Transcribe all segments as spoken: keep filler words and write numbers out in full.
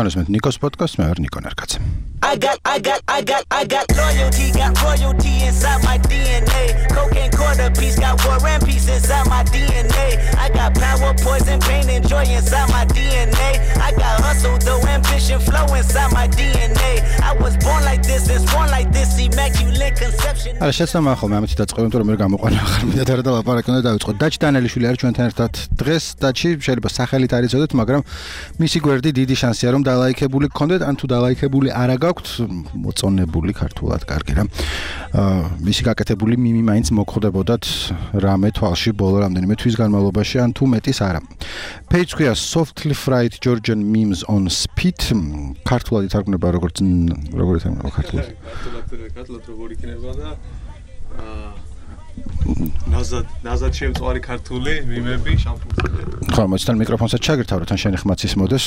თქვენს მე ნიკოს პოდკასტს მე ვარ ნიკო ნერკაცი. I got, I got, I got, I got loyalty, got royalty inside my D N A. Cocaine quarter piece, got war and peace inside my D N A. I got power, poison, pain, and joy inside my D N A. I got hustle, though, ambition, flow inside my D N A. I was born like this, and born like this, immaculate conception. არა შესაძლოა ხოლმე ამით დაწყებთ, რომ მე გამოყვანა ახლა მინდა და რა ლაპარაკი უნდა დავიწყო. დაჩი დანელიშვილი არის ჩვენთან ერთად დღეს. დაჩი შეიძლება სახელით არ იცოდეთ, მაგრამ მისი გვერდი დიდი შანსია რომ დალაიქებული გქონდეთ, ან თუ დალაიქებული არა გაქვთ, მოწონებული ქართულად კარგი რა. აა მისი გაკეთებული მიმი მაინც მოგხვდებოდათ რამე თვალში ბოლო რამდენიმე თვის განმავლობაში, ან თუ მეტის არა. Page ქვია Softly Fried Georgian Memes on Speed. ქართულად ითარგმნება როგორც როგორ ითარგმნება ქართულად? ქართულად როგორ იქნება და აა ნაზად ნაზად შემწვარი ქართული მიმები შამპურზე. ხო, მოიცა მიკროფონსაც ჩაგირთავროთ, ან შენი ხმაც ის მოდეს.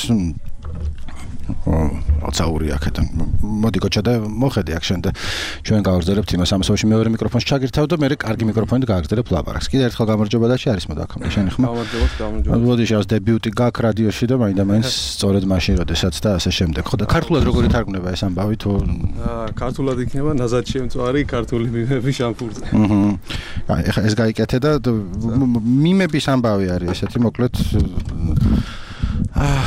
აცაური აქედან. მოდი გოჩა და მოხედი აქ შენ და ჩვენ გავაგრძელებთ იმას ამასობაში მეორე მიკროფონს ჩაგირთავ და მე რეკარგი მიკროფონით გავაგრძელებ ლაპარაკს. კიდე ერთხელ გამარჯობა და შეარის მოდი აქ შენი ხმა. გამარჯობა, გამარჯობა. მოდი შევას დებიუტი გაქ რადიოში და მაინდა მაინც სწორედ მაშინ როდესაც და ასე შემდეგ. ხო და ქართულად როგორ ითარგმნება ეს ამბავი თუ აა ქართულად იქნება ნაზად შემწვარი ქართული მიმები შამპურზე. აჰა. ეხა ეს გაიკეთე და მიმების ამბავი არის ესეთი მოკლედ აა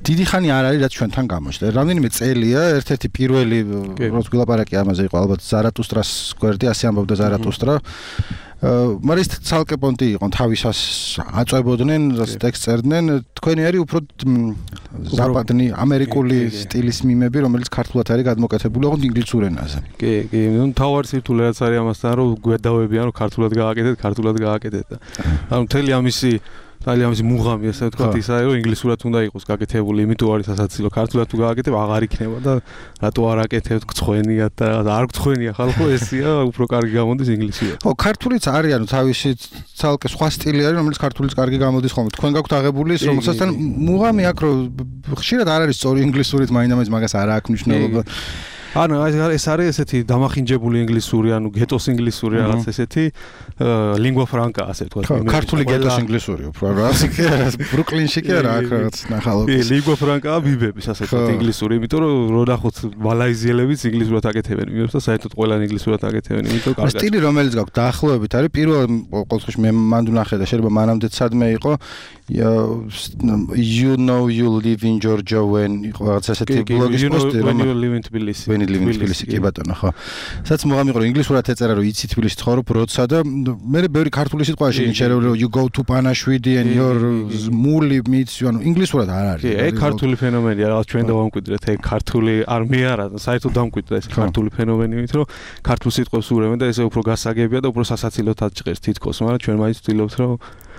დიდი ხანი არ არის რაც ჩვენთან გამოჩნდა. რამდენიმე წელია, ერთ-ერთი პირველი როგორც გილაპარაკი ამაზე იყო ალბათ ზარატუსტრას გვერდი, ასე ამბობდა ზარატუსტრა. მაგრამ ის ცალკე პონტი იყო, თავისას აწვებოდნენ, ტექსტს წერდნენ. თქვენი არის უფრო ზაპადნი ამერიკული სტილის მიმები, რომელიც ქართულად არის გადმოკეთებული, ოღონდ ინგლისურ ენაზე. კი, კი, ნუ თავარი სირთულე რაც არის ამასთან, რომ გვედავებიან, რომ ქართულად გააკეთეთ, ქართულად გააკეთეთ და ანუ მთელი ამისი ძალიან ამისი მუღამი ასე ვთქვათ ის არის რომ ინგლისურად უნდა იყოს გაკეთებული, იმიტომ არის სასაცილო. ქართულად თუ გააკეთებ აღარ იქნება და რატო არ აკეთებთ გწხვენიათ და არ გწხვენია ხალხო ესია, უფრო კარგი გამოდის ინგლისურად. ხო, ქართულიც არის, ანუ თავისი ცალკე სხვა სტილი არის, რომელიც ქართულიც კარგი გამოდის ხოლმე. თქვენ გაქვთ აღებული ის, რომელსაც მუღამი აქ რომ ხშირად არ არის სწორი ინგლისურით, მაინდა-მაინც მაგას არ აქვს მნიშვნელობა. ანუ ეს არის ესეთი დამახინჯებული ინგლისური, ანუ გეტოს ინგლისური რაღაც ესეთი ლინგვა ფრანკა ასე ვთქვათ. ქართული გეტოს ინგლისური უფრო რა, ბრუკლინში კი არა აქ რაღაც ნახალობ. კი, ლინგვა ფრანკა ბიბების ასე ვთქვათ ინგლისური, იმიტომ რომ რო ნახოთ მალაიზიელებიც ინგლისურად აკეთებენ მიმებს და საერთოდ ყველანი ინგლისურად აკეთებენ, იმიტომ კარგად. სტილი რომელიც გაქვთ დაახლოებით არის პირველ ყოველთვის მე მანდ ვნახე და შეიძლება მანამდეც სადმე იყო you know you live in Georgia when იყო რაღაც ესეთი ბლოგის პოსტი რომ you live in Tbilisi. თბილისი კი ბატონო ხო. სადაც მოგამი იყო რომ ინგლისურად ეწერა რომ იცი თბილისში ცხოვრობ როცა და მე ბევრი ქართული სიტყვა შეინჩერე რომ you go to Panaშვიდი and your muli meets you ანუ ინგლისურად არ არის. კი, ეგ ქართული ფენომენია, რაღაც ჩვენ დავამკვიდრეთ, ეგ ქართული არმე არა, საერთოდ დამკვიდრა ეს ქართული ფენომენი, იმიტომ რომ ქართულ სიტყვებს ურევენ და ესე უფრო გასაგებია და უფრო სასაცილოდ აჭყერს თითქოს, მაგრამ ჩვენ მაინც ვცდილობთ რომ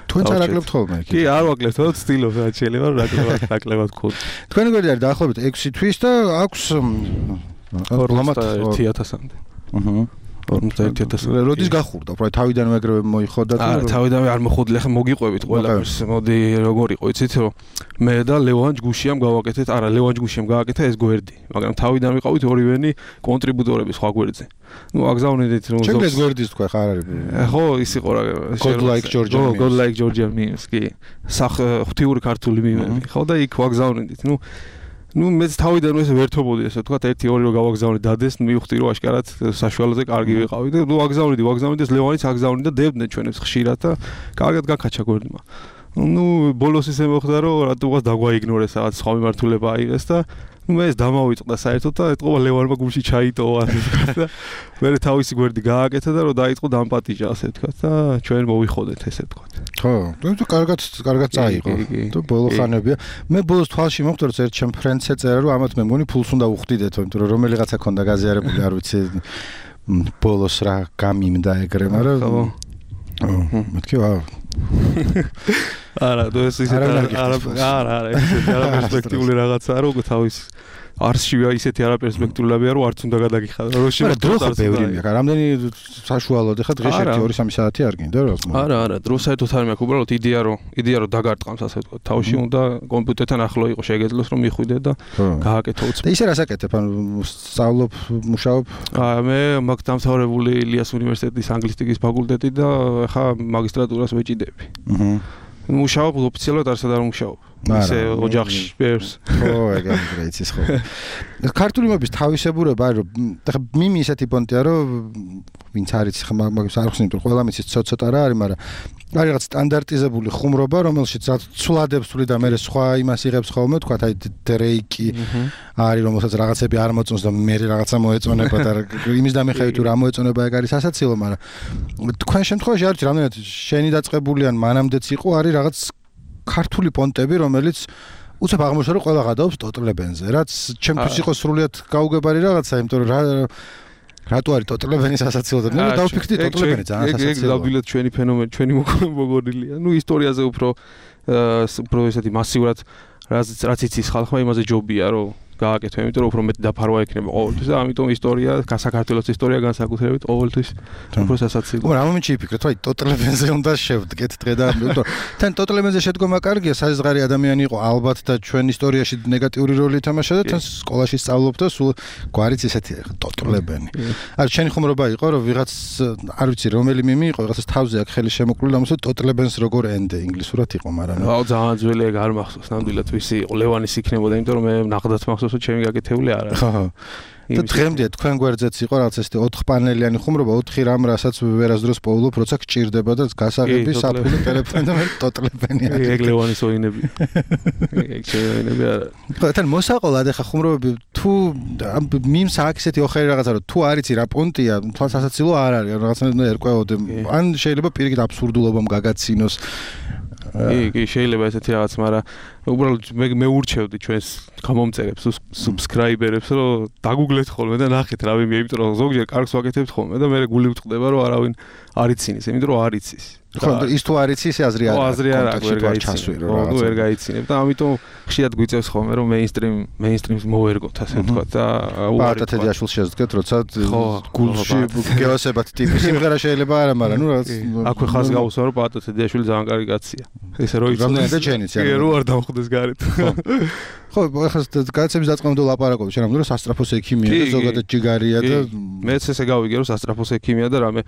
თქვენც არ აკლებთ ხოლმე კი არ ვაკლებთ, თორე ვცდილობ რა შეიძლება რომ აკლებად აკლებად გქონდეს. თქვენი გვერდი არის დაახლოებით ექვსი თვის და აქვს ორმოცდაერთი ათასამდე. აჰა. ორმოცდაერთი ათასი. როდის გახურდა? უფრო თავიდანვე ეგრევე მოიხოდა და არა, თავიდანვე არ მოხოდილი, ახლა მოგიყვებით ყველაფერს. მოდი როგორ იყო, იცით რომ მე და ლევან ჯგუშიამ გავაკეთეთ, არა, ლევან ჯგუშიამ გააკეთა ეს გვერდი, მაგრამ თავიდან ვიყავით ორივენი კონტრიბუტორები სხვა გვერდზე. ნუ აგზავნიდით რომ ზოგ ეს გვერდის თქვა ხარ არის. ხო, ის იყო რა. God like Georgian memes. God like Georgian memes, კი. სახ ღვთიური ქართული მიმები. ხო და იქ ვაგზავნიდით. ნუ ნუ მეც თავიდან ეს ვერთობოდი ესე ვთქვათ ერთი ორი რო გავაგზავნე დადეს მივხვდი რომ აშკარად საშუალოზე კარგი ვიყავი და ნუ აგზავნიდი ვაგზავნიდი ეს ლევანიც აგზავნიდა და დებდნენ ჩვენებს ხშირად და კარგად გაკაჩა გვერდმა. ნუ ბოლოს ისე მოხდა რომ რატომღაც დაგვაიგნორეს რაღაც სხვა მიმართულება აიღეს და ნუ მე ეს დამავიწყდა საერთოდ და ეთყობა ლევანმა გულში ჩაიტოვა და მე თავისი გვერდი გააკეთა და რომ დაიწყო დამპატიჟა ასე ვთქვათ და ჩვენ მოვიხოდეთ ესე ვთქვათ. ხო, თუ კარგად კარგად წაიღო. თუ ბოლო ხანებია. მე ბოლოს თვალში მოხდა რომ ერთ ჩემ ფრენდს ეწერა რომ ამათ მე მგონი ფულს უნდა უხდიდეთ, იმიტომ რომ რომელიღაცა ქონდა გაზიარებული არ ვიცი ბოლოს რა გამიმდა ეგრე, მაგრამ ხო. მეთქი ვა არა, ეს ისე არა, არა, არა, ეს არა პერსპექტიული რაღაცაა, რომ თავის არსშივე ისეთი არაპერსპექტულებია, რომ არც უნდა გადაგიხადო. რო შეიძლება დრო ხო ბევრი მექა, რამდენი საშუალოდ ხა დღეს ერთი ორი სამი საათი არ გინდა რა. არა, არა, დრო საერთოდ არ მექ, უბრალოდ იდეა რომ იდეა რომ დაგარტყამს ასე ვთქვათ. თავში უნდა კომპიუტერთან ახლო იყო შეგეძლოს რომ მიხვიდე და გააკეთო უცბად. და ისე რას აკეთებ? ანუ სწავლობ, მუშაობ? აა მე მაგ დამთავრებული ილიას უნივერსიტეტის ანგლისტიკის ფაკულტეტი და ხა მაგისტრატურას ვეჭიდები. აჰა. მუშაობ ოფიციალურად არც არ მუშაობ. ისე ოჯახში ბევრს. ხო, ეგ იცის ხო. ქართული მობის თავისებურება არის რომ ხა მიმი ისეთი პონტია რომ ვინც არის ხა მაგას არ ხსნით რომ ყველა მიცის ცოტა რა არის, მაგრამ არის რაღაც სტანდარტიზებული ხუმრობა, რომელშიც რაც ცვლადებს თვლი და მე სხვა იმას იღებს ხოლმე, თქვა აი დრეიკი არის, რომელსაც რაღაცები არ მოწონს და მე რაღაცა მოეწონება და იმის დამეხებით თუ რა მოეწონება ეგ არის სასაცილო, მაგრამ თქვენ შემთხვევაში არის რამდენად შენი დაწყებული ან მანამდეც იყო არის რაღაც ქართული პონტები, რომელიც უცებ აღმოჩნდა რომ ყველა გადაობს ტოტლებენზე, რაც ჩემთვის იყო სრულიად გაუგებარი რაღაცა, იმიტომ რომ რა რატო არის ტოტლებენი სასაცილო და მე დავფიქრდი ტოტლებენი ძალიან სასაცილოა. ეგ დავდილეთ ჩვენი ფენომენი, ჩვენი მოგონილია. ნუ ისტორიაზე უფრო უფრო ესეთი მასიურად რაც რაც იცის ხალხმა იმაზე ჯობია რომ გააკეთო, იმიტომ რომ უფრო მეტი დაფარვა ექნება ყოველთვის და ამიტომ ისტორია, საქართველოს ისტორია განსაკუთრებით ყოველთვის უფრო სასაცილოა. მაგრამ ამ მომენტში იფიქრეთ, აი ტოტლებენზე უნდა შევდგეთ დღე და იმიტომ თან ტოტლებენზე შედგომა კარგია, საზღარი ადამიანი იყო ალბათ და ჩვენ ისტორიაში ნეგატიური როლი ითამაშა და თან სკოლაში სწავლობდა სულ გვარიც ესეთი ტოტლებენი. არ შენი ხუმრობა იყო რომ ვიღაც არ ვიცი რომელი მიმი იყო, რაღაცას თავზე აქ ხელი შემოკლული და მოსულ ტოტლებენს როგორ ენდე ინგლისურად იყო, მაგრამ აუ ძალიან ძველი ეგ არ მახსოვს ნამდვილად ვისი იყო ლევანის იქნებოდა, იმიტომ რომ მე ნახდათ მახსოვს ჩემი გაკეთებული არ არის. ხო. და დღემდე თქვენ გვერდზეც იყო რაღაც ესეთი ოთხ პანელიანი ხუმრობა, ოთხი რამ რასაც ვერასდროს პოულობ, როცა გჭირდება და გასაღები საფული ტელეფონი და მე ტოტლებენი არის. ეგ ლევანის ოინები. ეგ შეინები არა. ხო, თან მოსაყოლად ახლა ხუმრობები თუ მიმს აქ ესეთი ოხერი რაღაცა რომ თუ არიცი რა პონტია, თვალ სასაცილო არ არის, რაღაცნაირად ერკვეოდე. ან შეიძლება პირიქით აბსურდულობამ გაგაცინოს. კი, კი, შეიძლება ესეთი რაღაც, მაგრამ უბრალოდ მე მე ურჩევდი ჩვენს გამომწერებს, subscriber-ებს, რომ დაგუგლეთ ხოლმე და ნახეთ რა ვიმია, იმიტომ რომ ზოგჯერ კარგს ვაკეთებთ ხოლმე და მე გული ვწყდება, რომ არავინ არ იცინეს, იმიტომ რომ არ იცის. ხო, ის თუ არ იცის, აზრი არ აქვს. აზრი არ აქვს, ვერ გაიცინებ. ხო, ვერ გაიცინებ და ამიტომ ხშირად გვიწევს ხოლმე, რომ mainstream mainstream-ს მოვერგოთ, ასე ვთქვათ და პატა თედიაშვილს შეძდგეთ, როცა გულში გეოსებათ ტიპი სიმღერა შეიძლება არა, მაგრამ ნუ რაღაც აქვე ხას გავუსვა, რომ პატა თედიაშვილი ძალიან კარგი კაცია. ესე რო იცოდეს. რამდენად ეჩენიც არა. კი, რო არ დამხვდეს გარეთ. ხო, ახლა გადაცემის დაწყებამდე ლაპარაკობ, შენ რომ სასტრაფოს ექიმია და ზოგადად ჯიგარია და მეც ესე გავიგე, რომ სასტრაფოს ექიმია და რამე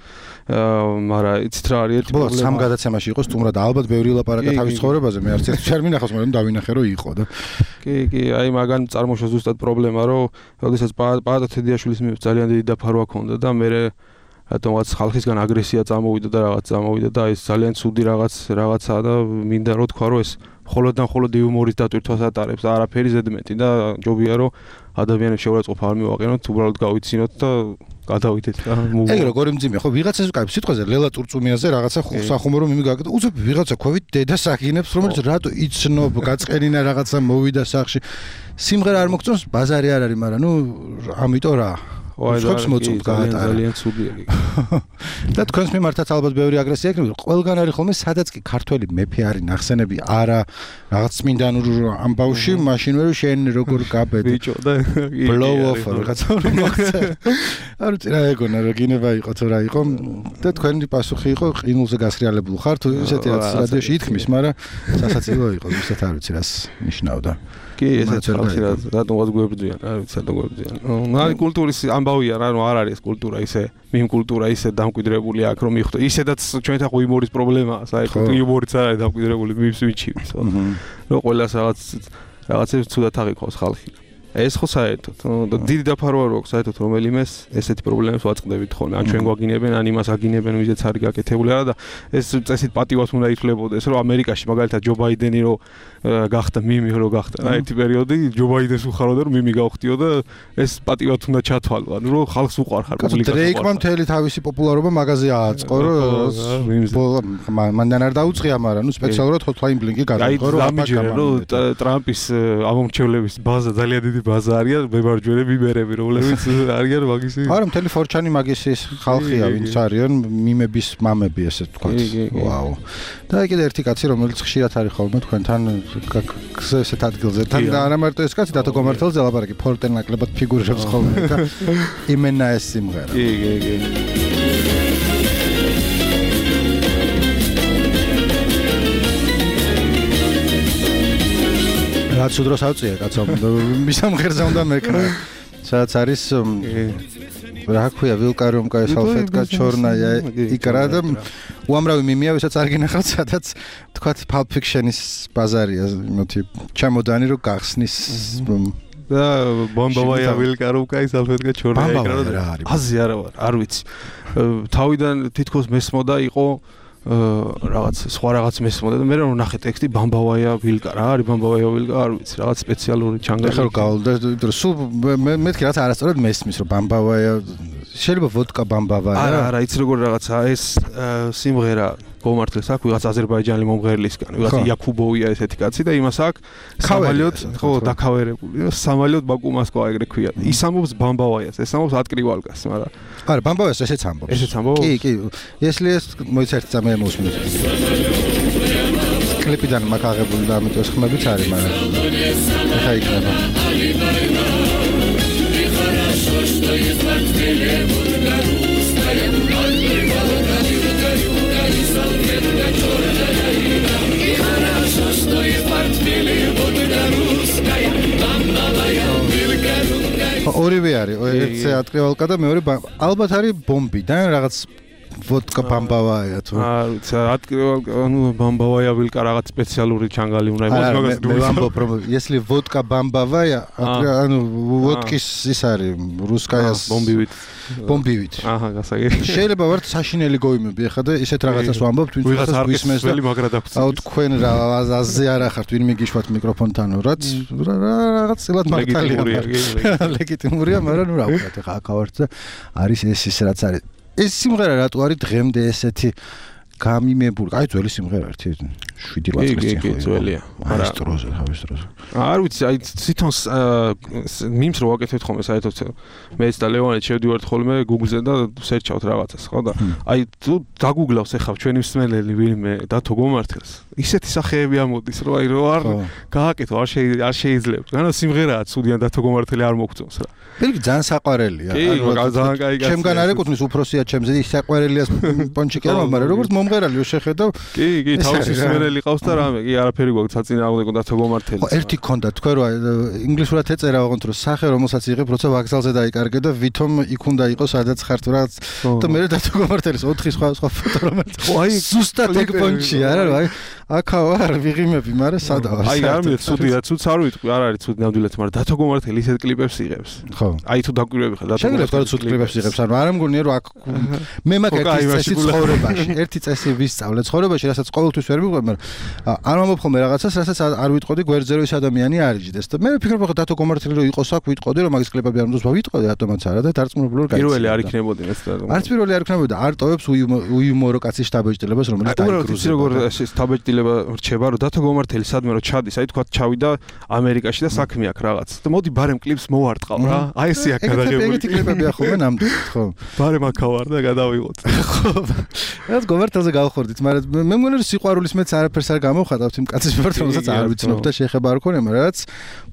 მაგრამ იცით რა არის ერთი პრობლემა. სამ გადაცემაში იყო სტუმრად ალბათ ბევრი ლაპარაკა თავის ცხოვრებაზე, მე არც ერთ არ მინახავს, მაგრამ დავინახე რომ იყო და კი, კი, აი მაგან წარმოშვა ზუსტად პრობლემა, რომ როდესაც პაატა თედიაშვილის მიმართ ძალიან დიდი დაფარვა ქონდა და მე რატომაც ხალხისგან აგრესია წამოვიდა და რაღაც წამოვიდა და ეს ძალიან ცუდი რაღაც რაღაცაა და მინდა რომ თქვა რომ ეს მხოლოდ და მხოლოდ იუმორის დატვირთვას ატარებს და არაფერი ზედმეტი და ჯობია რომ ადამიანებს შეურაცხყოფა არ მივაყენოთ, უბრალოდ გავიცინოთ და გადავიდეთ რა. ეგ როგორი მძიმე ხო ვიღაცას კაი სიტყვაზე ლელა წურწუმიაზე რაღაცა სახუმრო მიმი გაკეთდა. უცებ ვიღაცა ქვევით დედას აგინებს, რომელიც რატო იცნობ, გაწყერინა რაღაცა მოვიდა სახში. სიმღერა არ მოგწონს, ბაზარი არ არის, მაგრამ ნუ ამიტომ რა ხობს მოწმ გაატარა. ძალიან ცუდია იგი. და თქვენს მიმართაც ალბათ ბევრი აგრესია ექნება. ყველგან არის ხოლმე სადაც კი ქართველი მეფე არის ნახსენები, არა რაღაც წმინდან ამბავში, მაშინ ვერ შენ როგორ გაბედი. ბიჭო და blow off რაღაცა რომ მოხდა. არ ვიცი რა ეგონა რა გინება იყო თუ რა იყო და თქვენი პასუხი იყო ყინულზე გასრიალებულ ხარ თუ ესეთი რაც რადიოში ითქმის, მაგრამ სასაცილო იყო, ისეთ არ ვიცი რას ნიშნავდა. კი, ესეც ხალხი რა რატომღაც გვებრძვიან, არ ვიცი რატომ გვებრძვიან. ნუ არის კულტურის ამბავია რა, ნუ არ არის კულტურა ისე, მიმ კულტურა ისე დამკვიდრებული აქ რომ მიხვდა. ისედაც ჩვენთან ხო იუმორის პრობლემაა, საერთოდ იუმორიც არ არის დამკვიდრებული მის მიჩივს, ხო. რომ ყველას რაღაც რაღაცებს ცუდად აღიქოს ხალხი. ეს ხო საერთოდ და დიდი დაფარვა რო აქვს საერთოდ რომელიმეს ესეთი პრობლემებს ვაწყდებით ხოლმე. ან ჩვენ გვაგინებენ, ან იმას აგინებენ, ვიზეც არის გაკეთებული არა და ეს წესით პატივას უნდა ითვლებოდეს, რომ ამერიკაში მაგალითად ჯო ბაიდენი რო გახდა მიმი რო გახდა რა ერთი პერიოდი ჯო ბაიდენს უხაროდა რომ მიმი გავხდიო და ეს პატივად უნდა ჩათვალო, ანუ რომ ხალხს უყარხარ პუბლიკას. დრეიკმა მთელი თავისი პოპულარობა მაგაზე ააწყო, რომ მანდან არ დაუწყია, მაგრამ ნუ სპეციალურად hotline bling-ი გადაიღო, რომ ამაჯერა ტრამპის ამომრჩევლების ბაზა ძალიან დიდი ბაზა არიან მემარჯვენე მიმერები, რომლებიც არიან მაგისი. არა, მთელი ფორჩანი მაგისის ხალხია, ვინც არიან მიმების მამები, ესე ვთქვათ. ვაუ. და კიდე ერთი კაცი, რომელიც ხშირად არის ხოლმე თქვენთან ესეთ ადგილზე. თან და არა მარტო ეს კაცი, დათო გომართელზე ლაპარაკი, ფორტენ ნაკლებად ფიგურირებს ხოლმე და იმენა ეს სიმღერა. კი, კი, კი. რაც უდროს ავწია კაცო, მისამღერზე უნდა მეკრა. სადაც არის რა ქვია ვილკარიუმკაი სალფეტკა ჩორნაია იკრა და უამრავი მიმია ვისაც არ გინახავთ სადაც თქვათ Pulp Fiction-ის ბაზარია იმათი ჩამოდანი რო გახსნის და ბომბავაია ვილკარიუმკაი სალფეტკა ჩორნაია იკრა და აზი არა ვარ არ ვიცი თავიდან თითქოს მესმოდა იყო რაღაც სხვა რაღაც მესმოდა და მე რომ ნახე ტექსტი ბამბავაია ვილკა რა არის ბამბავაია ვილკა არ ვიცი რაღაც სპეციალური ჩანგალი ახლა გავდა სულ მე მეთქი რაღაც არასწორად მესმის რომ ბამბავაია შეიძლება ვოდკა ბამბავაია არა არა იცი როგორ რაღაცა ეს სიმღერა გომართლეს აქვს ვიღაც აზერბაიჯანელი მომღერლისგან ვიღაც იაკუბოვია ესეთი კაცი და იმას აქვს სამალიოთ ხო დაკავერებული სამალიოთ ბაკუ მოსკოვა ეგრე ქვია ის ამბობს ბამბავაიას ეს ამბობს ატკრივალკას მაგრამ არა ბამბავაიას ესეც ამბობს ესეც ამბობს კი კი если ეს მოიცერთ სამე მოსმინეთ კლიპიდან მაგ აღებული და ამიტომ ხმებიც არის მაგრამ ეხა იქნება ორივე არის, ერთი ატკრივალკა და მეორე ალბათ არის ბომბიდან რაღაც ვოდკა ბამბავაია თუ არ ვიცი ატკრივალკა ანუ ბამბავაია ვილკა რაღაც სპეციალური ჩანგალი უნდა იყოს მაგას მე ვამბობ რომ если ვოდკა ბამბავაია ანუ ვოდკის ის არის რუსკაიას ბომბივით ბომბივით აჰა გასაგები შეიძლება ვართ საშინელი გოიმები ახლა და ისეთ რაღაცას ვამბობთ ვინც გვისმენს და მაგრა დაგვწევს აუ თქვენ რა აზე არ ახართ ვინ მიგიშვათ მიკროფონთან რაც რაღაც წილად მართალია ლეგიტიმურია მაგრამ ნუ რა ვქოთ ახლა აქ და არის ეს ის რაც არის ეს სიმღერა რატო არის დღემდე ესეთი გამიმებული? აი ძველი სიმღერა ერთი შვიდი რვა წლის წინ ძველია. არა სტროზე, ხავის სტროზე. არ ვიცი, აი თვითონ მიმს რო ვაკეთებ ხოლმე საერთოდ მეც და ლევანე შევდივართ ხოლმე Google-ზე და სერჩავთ რაღაცას, ხო და აი თუ დაგუგლავს ახლა ჩვენი მსმენელი ვინმე დათო გომართელს. ისეთი სახეები ამოდის, რომ აი რო არ გააკეთო, არ შეიძლება. განა სიმღერაა ცუდიან დათო გომართელი არ მოგწონს რა. ბილგი ძალიან საყვარელია. კი, ძალიან კაი კაცია. ჩემგან არ ეკუთვნის უფროსია ჩემზე, ის საყვარელიას პონჩიკი არ მაგრამ როგორც მომღერალი შეხედავ. კი, კი, თავისი მსმენელი ყავს და რამე, კი, არაფერი გვაქვს საწინააღმდეგო დათო გომართელი. ხო, ერთი ქონდა, თქვენ რა ინგლისურად ეწერა ოღონდ რომ სახე რომელსაც იღებ, როცა ვაგზალზე დაიკარგე და ვითომ იქ უნდა იყოს სადაც ხართ რა და მე დათო გომართელის ოთხი სხვა სხვა ფოტო რომელიც ხო აი ზუსტად ეგ პონჩი არა რა აი აქა ვარ ვიღიმები, მაგრამ სადაა? აი არ მე ცუდია, ცუდს არ ვიტყვი, არ არის ცუდი ნამდვილად, მაგრამ დათო გომართელი ისეთ კლიპებს იღებს. ხო. აი თუ დაგვირები ხარ დათო გომართელი. შეიძლება ცუდ კლიპებს იღებს, ანუ არ მგონია რომ აქ მე მაგ ერთი წესი ცხოვრებაში, ერთი წესი ვისწავლე ცხოვრებაში, რასაც ყოველთვის ვერ მიყვება, მაგრამ არ მომობ ხოლმე რაღაცას, რასაც არ ვიტყოდი გვერდზე რომ ის ადამიანი არ იჯდეს და მე ვფიქრობ ხო დათო გომართელი რო იყოს აქ ვიტყოდი რომ მაგის კლიპები არ მძოს ვიტყოდი რატომაც არა და დარწმუნებული ვარ გაიცი. პირველი არ იქნებოდი ეს და. არც პირველი არ იქნებოდი და არ ტოვებს უიუმორო კაცის შტაბეჭდილებას რომელიც დაიგრუზა. როგორ ეს შტაბეჭდილება რჩება რომ დათო გომართელი სადმე რომ ჩადის, აი თქვა ჩავიდა ამერიკაში და საქმე აქვს რაღაც. და მოდი ბარემ კლიპს მოვარტყავ რა. აი ესე აქ გადაღებული. ეგეთი კლიპები ახლა ნამდვილად ხო. ბარემ აქავარ და გადავიღოთ. ხო. რაც გომართელზე გავხორდით, მაგრამ მე მგონი რომ სიყვარულის მეც არაფერს არ გამოვხატავთ იმ კაცის მიმართ, რომელსაც არ ვიცნობ და შეხება არ ქონია, მაგრამ რაც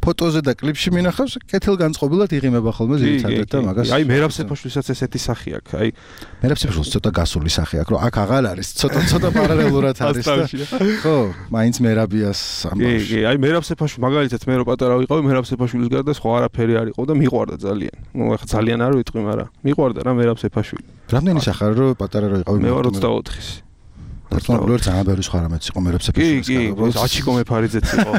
ფოტოზე და კლიპში მინახავს, კეთილგანწყობილად იღიმება ხოლმე ძირითადად და მაგას. აი მერაბ სეფაშვილისაც ესეთი სახე აქვს. აი მერაბ სეფაშვილს ცოტა გასული სახე აქვს, რომ აქ აღარ არის, ცოტა ცოტა პარალელურად არის და ხო, მაინც მერაბიას ამბავს. კი, კი, აი მერაბ სეფაშვილი მაგალითად მე რო პატარა ვიყავი, მერაბ სეფაშვილის გარდა სხვა არაფერი არ იყო და მიყვარდა ძალიან. ნუ ახლა ძალიან არ ვიტყვი, მაგრამ მიყვარდა რა მერაბ სეფაშვილი. რამდენი სახარ რო პატარა რო იყავი? მე ვარ ოცდაოთხის. პარტნიორ ძალიან ბევრი სხვა რამეც იყო მერაბ სეფაშვილის გარდა. კი, კი, აჩიკო მეფარიძეც იყო.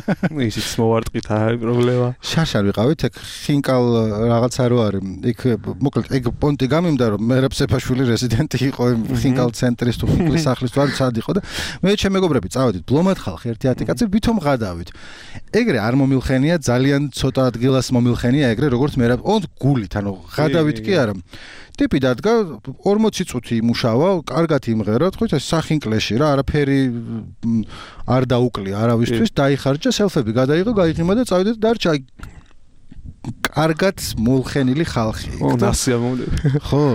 ისიც მოვარტყით, აი პრობლემა. შარშარ ვიყავით, ეგ ხინკალ რაღაცა რო არის. იქ მოკლედ ეგ პონტი გამიმდა რომ მერაბ სეფაშვილი რეზიდენტი იყო იმ ხინკალ ცენტრის თუ ხინკლის სახლის თუ არ სად იყო და მე ჩემ მეგობრები წავედით ბლომად ხალხი ერთი ათი კაცი ვითომ ღადავით. ეგრე არ მომილხენია, ძალიან ცოტა ადგილას მომილხენია ეგრე როგორც მერაბ ონდ გულით, ანუ ღადავით კი არა. ტიპი დადგა ორმოცი წუთი იმუშავა, კარგად იმღერა, თქვით ეს სახინკლეში რა, არაფერი არ დაუკლია არავისთვის, დაიხარჯა, სელფები გადაიღო, გაიღიმა და წავიდა და დარჩა კარგად მოლხენილი ხალხი. ო, ნასიამოვნები. ხო.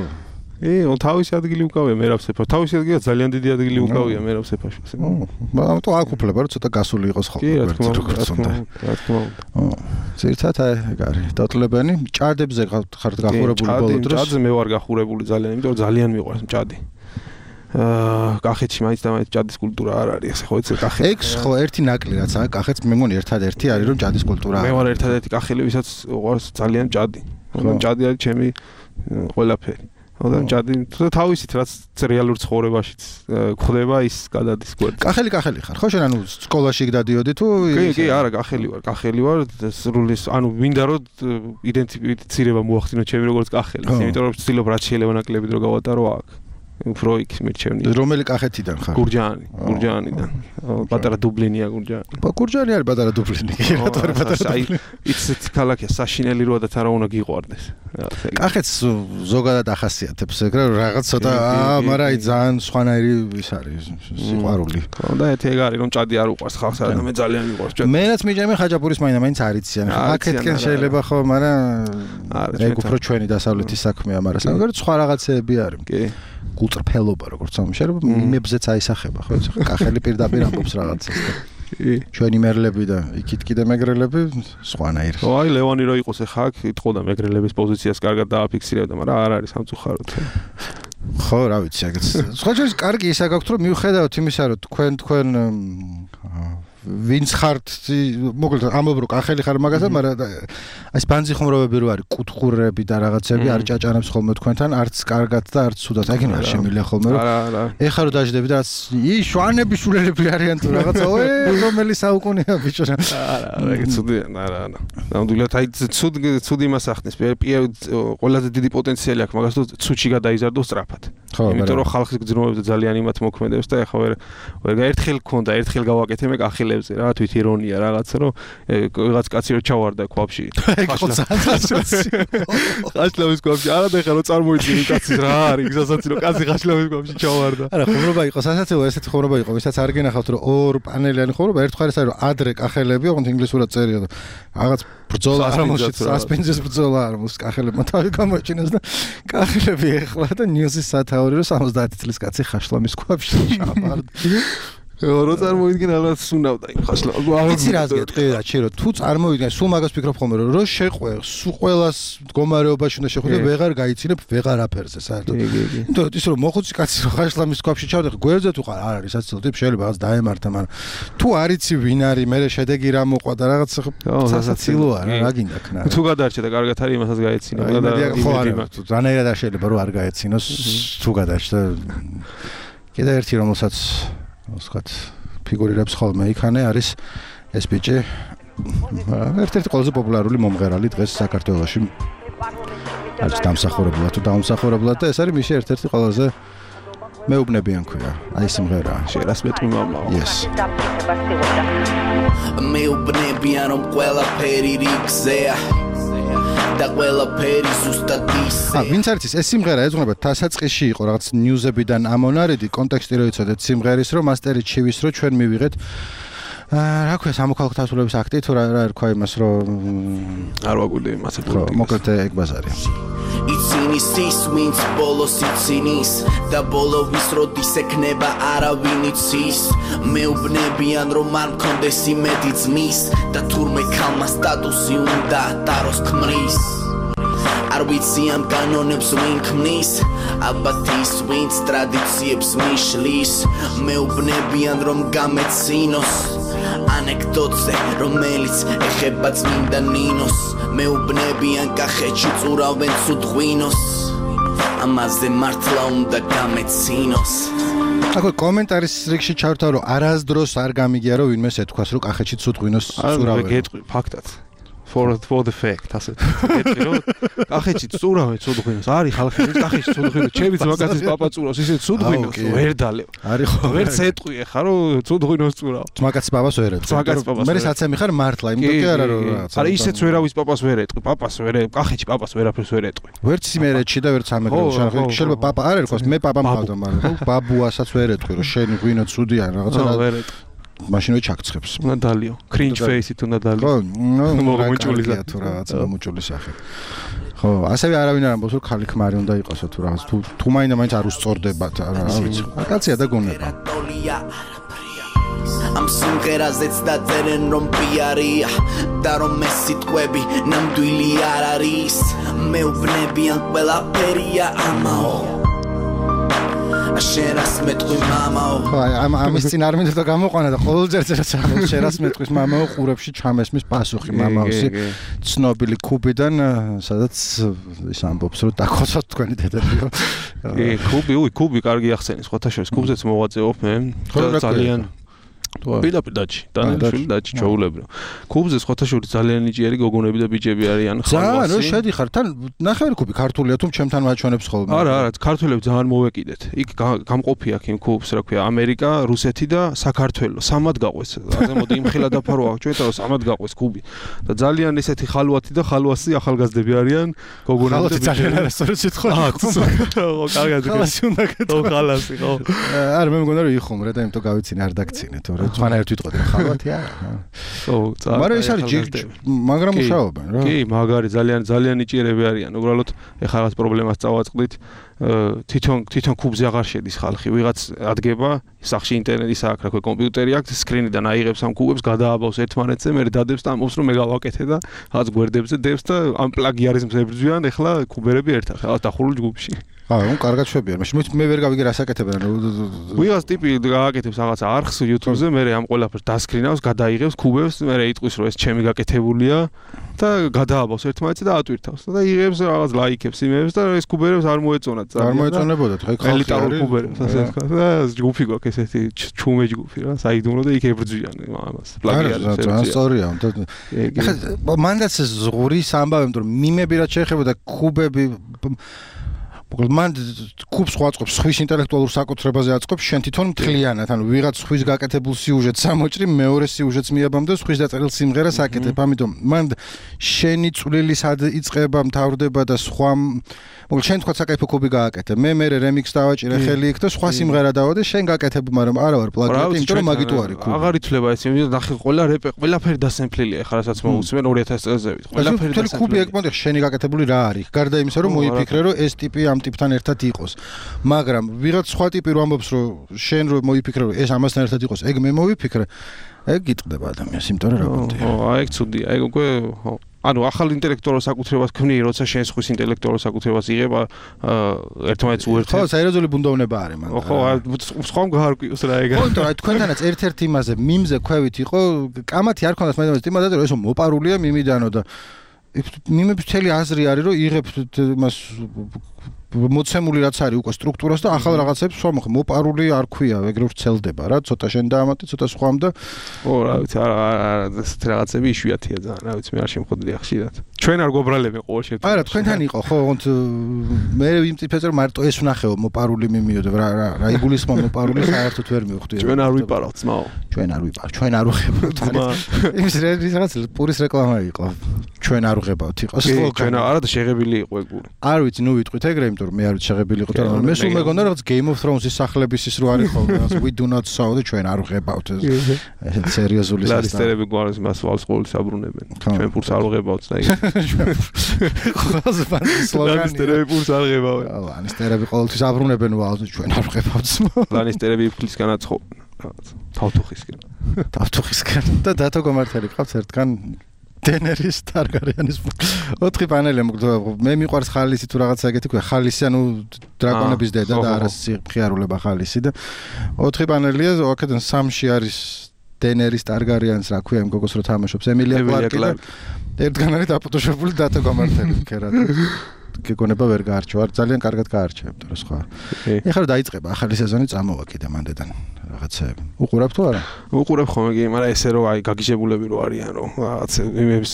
ე, ო თავისი ადგილი უკავია მერაბ სეფაშვილს. თავისი ადგილი ძალიან დიდი ადგილი უკავია მერაბ სეფაშვილს. ო, მაგრამ თუ აქ უფლება რომ ცოტა გასული იყოს ხოლმე. კი, რა თქმა უნდა, რა თქმა უნდა. ო, ზირთათ ეგ არის. დათლებანი ჭადებზე ხართ გახურებული ბოლო დროს. ჭადზე მე ვარ გახურებული ძალიან, იმიტომ რომ ძალიან მიყვარს ჭადი. აა, კახეთში მაინც და მაინც ჭადის კულტურა არ არის, ასე ხო იცი კახეთი. ეგ ხო ერთი ნაკლი რაცა კახეთს მე მგონი ერთადერთი არის რომ ჭადის კულტურა. მე ვარ ერთადერთი კახელი, ვისაც უყვარს ძალიან ჭადი. და ჭადი არის ჩემი ყველაფერი. და ჭადი თავისით რაც რეალურ ცხოვრებაშიც ხდება ის გადადის გვერდზე. კახელი კახელი ხარ. ხო შენ ანუ სკოლაში გდადიოდი თუ კი კი არა კახელი ვარ, კახელი ვარ, სრულის ანუ მინდა რომ იდენტიფიცირება მოახდინო ჩემი როგორც კახელი. იმიტომ რომ ვცდილობ რაც შეიძლება ნაკლებით რომ გავატარო აქ. უფრო იქ მირჩევნია. რომელი კახეთიდან ხარ? გურჯაანი, გურჯაანიდან. პატარა დუბლინია გურჯაანი. გურჯაანი არის პატარა დუბლინი. კი რატო არის პატარა დუბლინი? იცით ქალაქია საშინელი როა და თან რა უნდა გიყვარდეს. კახეთს ზოგადად ახასიათებს ეგ რაღაც ცოტა აა მაგრამ აი ძალიან სხვანაირი ის არის სიყვარული. და ერთი ეგ არის რომ ჭადი არ უყვარს ხალხს და მე ძალიან მიყვარს ჭადი. მენაც მიჭამე ხაჭაპურის მაინა მაინც არიციან. კახეთკენ შეიძლება ხო მაგრამ ეგ უფრო ჩვენი დასავლეთის საქმეა მაგრამ სამაგერ სხვა რაღაცეები არის. კი. გულწრფელობა როგორც ამშერება მიმებზეც აისახება ხო იცი კახელი პირდაპირ ამბობს რაღაცას და ჩვენი მერლები და იქით კიდე მეგრელები სხვანაირ ხო აი ლევანი რო იყოს ახლა აქ იტყოდა მეგრელების პოზიციას კარგად დააფიქსირებდა მაგრამ არ არის სამწუხაროდ ხო რა ვიცი ეგეც სხვა შეიძლება კარგი ისა გაქვთ რომ მიუხედავთ იმისა რომ თქვენ თქვენ ვინც ხართ მოკლედ ამბობ რომ კახელი ხარ მაგასაც მაგრამ აი ბანძი ხუმრობები რო არის კუთხურები და რაღაცები არ ჭაჭანებს ხოლმე თქვენთან არც კარგად და არც ცუდად ეგ არ შემილია ხოლმე რომ ეხლა რო დაждები და რაც ი შვანები შულელები არიან თუ რაღაცა ой რომელი საუკუნეა ბიჭო რა არა ეგ ცუდია არა არა ნამდვილად აი ცუდ ცუდი იმას ახდენს ყველაზე დიდი პოტენციალი აქვს მაგას თუ ცუდში გადაიზარდო სწრაფად იმიტომ რომ ხალხის გძნობებზე ძალიან იმათ მოქმედებს და ეხლა ვერ ვერ გაერთხელ ქონდა ერთხელ გავაკეთე მე კახელებზე რა თვით ირონია რაღაცა რომ რაღაც კაცი რო ჩავარდა ქვაბში ხაშლავის ქვაბში არა და ეხლა რო წარმოიდგინე კაცის რა არის გზასაც რომ კაცი ხაშლავის ქვაბში ჩავარდა არა ხუმრობა იყო სასაცილო ესეთი ხუმრობა იყო ვისაც არ გენახავთ რომ ორ პანელიანი ხუმრობა ერთხელ ეს არის რომ ადრე კახელები ოღონდ ინგლისურად წერია და რაღაც ბრძოლა არ მოშიც სასპენსის ბრძოლა არ მოს კახელებმა თავი გამოიჩინეს და კახელები ეხლა და ნიუსის სათაური რომ სამოცდაათი წლის კაცი ხაშლამის ქვაბში ჩავარდა რო წარმოიდგინე ალბათ სუნავდა იმ ხაშლა. იცი რას გეტყვი რა ჩი რომ თუ წარმოიდგინე სულ მაგას ფიქრობ ხოლმე რომ რო შეყვე სულ ყოველას მდგომარეობაში უნდა შეხვიდე ვეღარ გაიცინებ ვეღარ აფერზე საერთოდ. იმიტომ ის რომ მოხუცი კაცი რო ხაშლამის ქვაბში ჩავდე გვერდზე თუ ხარ არ არის საცილო ტიპ შეიძლება რაღაც დაემართა მაგრამ თუ არიცი ვინ არის მე შედეგი რა მოყვა და რაღაც სასაცილოა რა გინდა ქნა. თუ გადარჩე და კარგად არის იმასაც გაეცინა და ხო არა რანაირად არ შეიძლება რომ არ გაეცინოს თუ გადარჩე კიდე ერთი რომელსაც ვსხათ ფიგურირებს ხოლმე იქანე არის ეს ბიჭი ერთ-ერთი ყველაზე პოპულარული მომღერალი დღეს საქართველოში არის დამსახურებლად თუ დაუმსახურებლად და ეს არის მისი ერთ-ერთი ყველაზე მეუბნებიან ქვია აი სიმღერა შერას მეტყვი მამა yes მეუბნებიან რომ ყველაფერი რიგზეა და ყველაფერი ზუსტად ისე. ა ვინც არის ეს სიმღერა ეძღვნება დასაწყისში იყო რაღაც ნიუზებიდან ამონარიდი კონტექსტი რო იცოდეთ სიმღერის რომ მასტერი ჩივის რო ჩვენ მივიღეთ რა ქვია სამოქალაქო თავისუფლების აქტი თუ რა რა რქვა იმას რომ არ ვაგვირდი იმასაც მოკლედ ეგ ბაზარი იცინის ის ვინც ბოლოს იცინის და ბოლოვის როდის ექნება არავინ იცის მეუბნებიან რომ არ მქონდეს იმედი ძმის და თურმე ქალმა სტატუსი უნდა დაროს ქმრის არ ვიცი ამ კანონებს ვინ ქმნის ალბათ ის ვინც ტრადიციებს მიშლის მეუბნებიან რომ გამეცინოს ანეკდოტზე რომელიც ეხება წმინდა ნინოს მეუბნებიან კახეთში წურავენ ცუდ ღვინოს ამაზე მართლა უნდა გამეცინოს აკო კომენტარის რიგში ჩავარდა რომ არასდროს არ გამიგია რომ ვინმეს ეთქვას რომ კახეთში ცუდ ღვინოს წურავენ არა გეტყვი ფაქტად for for the fact ასე გეტყვი რომ კახეთში წურავენ ცუდ ღვინოს არის ხალხი კახეთში ცუდ ღვინოს ჩემიც მაგაცის პაპა წურავს ისე ცუდ ღვინოს ვერ დალევ არის ხო ვერ წეტყვი ხა რომ ცუდ ღვინოს წურავ მაგაცის პაპას ვერ ეტყვი მე საცემი ხარ მართლა იმიტომ კი არა რომ არა ისეც ვერავის პაპას ვერ ეტყვი პაპას ვერ კახეთში პაპას ვერაფერს ვერ ეტყვი ვერც იმერეთში და ვერც ამერიკაში შეიძლება პაპა არ ერქოს მე პაპა მყავდა მაგრამ ბაბუასაც ვერ ეტყვი რომ შენი ღვინო ცუდია რაღაცა ვერ ეტყვი მაშინვე ჩაგწხებს. უნდა დალიო. cringe face-ი თუ უნდა დალიო. ხო, მოմუჭული თუ რაღაც მოմუჭული სახე. ხო, ასევე არავინ არ ამბობს რომ ხალი ქმარი უნდა იყოსო თუ რაღაც თუ თუ მაინდა მაინც არ უსწორდებათ, რა ვიცი. კაცია და გონება. ამ სიმღერაზეც დაწერენ რომ პიარია და რომ ეს სიტყვები ნამდვილი არ არის მეუბნებიან ყველაფერია ამაო შენ რას მეტყვი მამაო აი ამ ამის წინ არ მინდოდა გამოყვანა და ყოველჯერ წერაც ამბობს შენ რას მეტყვის მამაო ყურებში ჩამესმის პასუხი მამაოსი ცნობილი კუბიდან სადაც ის ამბობს რომ დაქოცოთ თქვენი დედალიო კი კუბი უი კუბი კარგი ახსენის სხვათა შორის კუბზეც მოვაწეობ მე ძალიან პირდაპირ დაჩი დანიელი დაჩი ჩაულებრო კუბზე სხვათა შორის ძალიან ნიჭიერი გოგონები და ბიჭები არიან ხალხი რა შედიხარ თან ნახევარი კუბი ქართულია თუ ჩემთან მაჩვენებს ხოლმე არა არა ქართველებს ძალიან მოვეკიდეთ იქ გამყოფი აქ იმ კუბს რა ქვია ამერიკა რუსეთი და საქართველო სამად გაყვეს ასე მოდი იმხელა დაფარო აქ ჩვენ და სამად გაყვეს კუბი და ძალიან ესეთი ხალვათი და ხალვასი ახალგაზრდები არიან გოგონები და ბიჭები ძალიან არასწორად სიტყვა ხო კარგად ხალასი უნდა ხო ხალასი ხო არა მე მგონია რომ იხუმრე და იმიტომ გავიცინე არ დაგცინე თორე თქვენერთ ვიტყოდი ხალვათი არა ხო მაგრამ ეს არის ჯიგჯი მაგრამ მუშაობენ რა კი მაგარი ძალიან ძალიან ნიჭიერები არიან უბრალოდ ეხლა რაღაც პრობლემას წავაწყდით თვითონ თვითონ კუბზე აღარ შედის ხალხი ვიღაც ადგება სახში ინტერნეტი სააქ რა ქვია კომპიუტერი აქვს სკრინიდან აიღებს ამ კუბებს გადააბავს ერთმანეთზე მე დადებს და ამბობს რომ მე გავაკეთე და რაღაც გვერდებზე დებს და ამ პლაგიარიზმს ებრძვიან ეხლა კუბერები ერთად რაღაც დახურულ ჯგუფში აა, ნუ კარგად შვებიან. მაშინ მე ვერ გავიგე რას აკეთებენ. ვიღაც ტიპი გააკეთებს რაღაც არხს YouTube-ზე, მე ამ ყველაფერს დასკრინავს, გადაიღებს კუბებს, მე იტყვის რომ ეს ჩემი გაკეთებულია და გადააბავს ერთმანეთზე და ატვირთავს. და იღებს რაღაც ლაიქებს იმებს და ეს კუბერებს არ მოეწონათ. არ მოეწონებოდათ, ხა ხალხი ელიტარულ კუბერებს, ასე ვთქვა. და ჯგუფი გვაქვს ესეთი ჩუმე ჯგუფი რა, საიდუმლო და იქ ებრძვიან ამას. პლაგიარებს. რა სწორია. ხა მანდაც ზღურის ამბავი, იმიტომ რომ მიმები რაც შეეხება და კუბები მოკლედ მან კუბს ხვაწყობს ხვის ინტელექტუალურ საკუთრებაზე აწყობს შენ თვითონ მთლიანად ანუ ვიღაც ხვის გაკეთებულ სიუჟეტს ამოჭრი მეორე სიუჟეტს მიაბამ და ხვის დაწერილ სიმღერას აკეთებ ამიტომ მან შენი წვლილი სად იწყება მთავრდება და სხვა მოკლედ შენ თქვა საკაიფო კუბი გააკეთე მე მე რემიქსს დავაჭირე ხელი იქ და სხვა სიმღერა დავადე შენ გაკეთებ მაგრამ არა ვარ პლაგიატი იმიტომ რომ მაგიტო არის კუბი აღარ ითვლება ეს იმით ნახე ყველა რეპე ყველაფერი დასემფლილია ეხლა რასაც მოусმენ ორი ათას წელზე ვით ყველაფერი დასემფლილია კუბი ეკმონდი შენი გაკეთებული რა არის გარდა იმისა რომ მოიფიქრე რომ ეს ტიპი ამ ტიპთან ერთად იყოს მაგრამ ვიღაც სხვა ტიპი რო ამბობს რომ შენ რო მოიფიქრე რომ ეს ამასთან ერთად იყოს ეგ მე მოვიფიქრე ეგ გიტყდება ადამიანს იმიტომ რომ რა გონდია ხო აი ეგ ცუდია ეგ უკვე ხო ანუ ახალ ინტელექტუალურ საკუთრებას ქმნი როცა შენ ხვის ინტელექტუალურ საკუთრებას იღება ერთმანეთს უერთდება ხო სერიოზული ბუნდოვნება არის მან ხო სხვამ გაარკვიოს რა ეგ ხო იმიტომ რომ თქვენთანაც ერთ-ერთ იმაზე მიმზე ქვევით იყო კამათი არ ქონდათ მაგრამ იმადა რომ ესო მოპარულია მიმიდანო და მიმების მთელი აზრი არის რომ იღებთ იმას მოცემული რაც არის უკვე სტრუქტურას და ახალ რაღაცებს სხვა მოხ მოპარული არ ქვია ეგრე ვრცელდება რა ცოტა შენ დაამატე ცოტა სხვამ და ო რა ვიცი არა არა ეს რაღაცები იშვიათია ძალიან რა ვიცი მე არ შემხოდია ხშირად ჩვენ არ გვაბრალები ყოველ შემთხვევაში არა თქვენთან იყო ხო ოღონდ მე ვიმწიფეთ რომ მარტო ეს ვნახეო მოპარული მიმიოდე რა რა რა იგულისხმა მოპარული საერთოდ ვერ მივხვდი ჩვენ არ ვიპარავთ ძმაო ჩვენ არ ვიპარავთ ჩვენ არ უღებავთ იმის რაღაც პურის რეკლამა იყო ჩვენ არ უღებავთ იყო ჩვენ არა და შეღებილი იყო ეგ პური არ ვიცი ნუ ვიტყვით ეგრე იმიტომ რომ მე არ ვიცი შეღებილი იყო და მე სულ მეგონა რაღაც Game of Thrones-ის სახლების ის რო არის ხოლმე რაღაც we do not saw და ჩვენ არ უღებავთ ეს სერიოზული სასტა ლანისტერები გვარს მას ვალს ყოველს აბრუნებენ ჩვენ პურს არ უღებავთ და ეგ ხოზე ბანდი სლოგანი ლანისტერები პურს არ უღებავენ ლანისტერები ყოველთვის აბრუნებენ ვალს ჩვენ არ უღებავთ ლანისტერები ფლისგან აცხობენ რაღაც თავთუხისგან თავთუხისგან და დათო გომართელი ყავს ერთგან დენერის ტარგარიანის ოთხი პანელი მე მიყვარს ხალისი თუ რაღაცა ეგეთი ქვია ხალისი ანუ დრაკონების დედა და არა სიხიარულება ხალისი და ოთხი პანელია აქედან სამში არის დენერის ტარგარიანს რა ქვია იმ გოგოს რო თამაშობს ემილია კლარკი და ერთგან არის დაფოტოშოპული დათო გომართელი ქერად გეკონება ვერ გაარჩევ არ ძალიან კარგად გაარჩევ და სხვა ეხლა დაიწყება ახალი სეზონი წამოვა კიდე მანდედან რაღაცები უყურებ თუ არა უყურებ ხოლმე კი მაგრამ ესე რომ აი გაგიჟებულები რო არიან რომ რაღაც იმების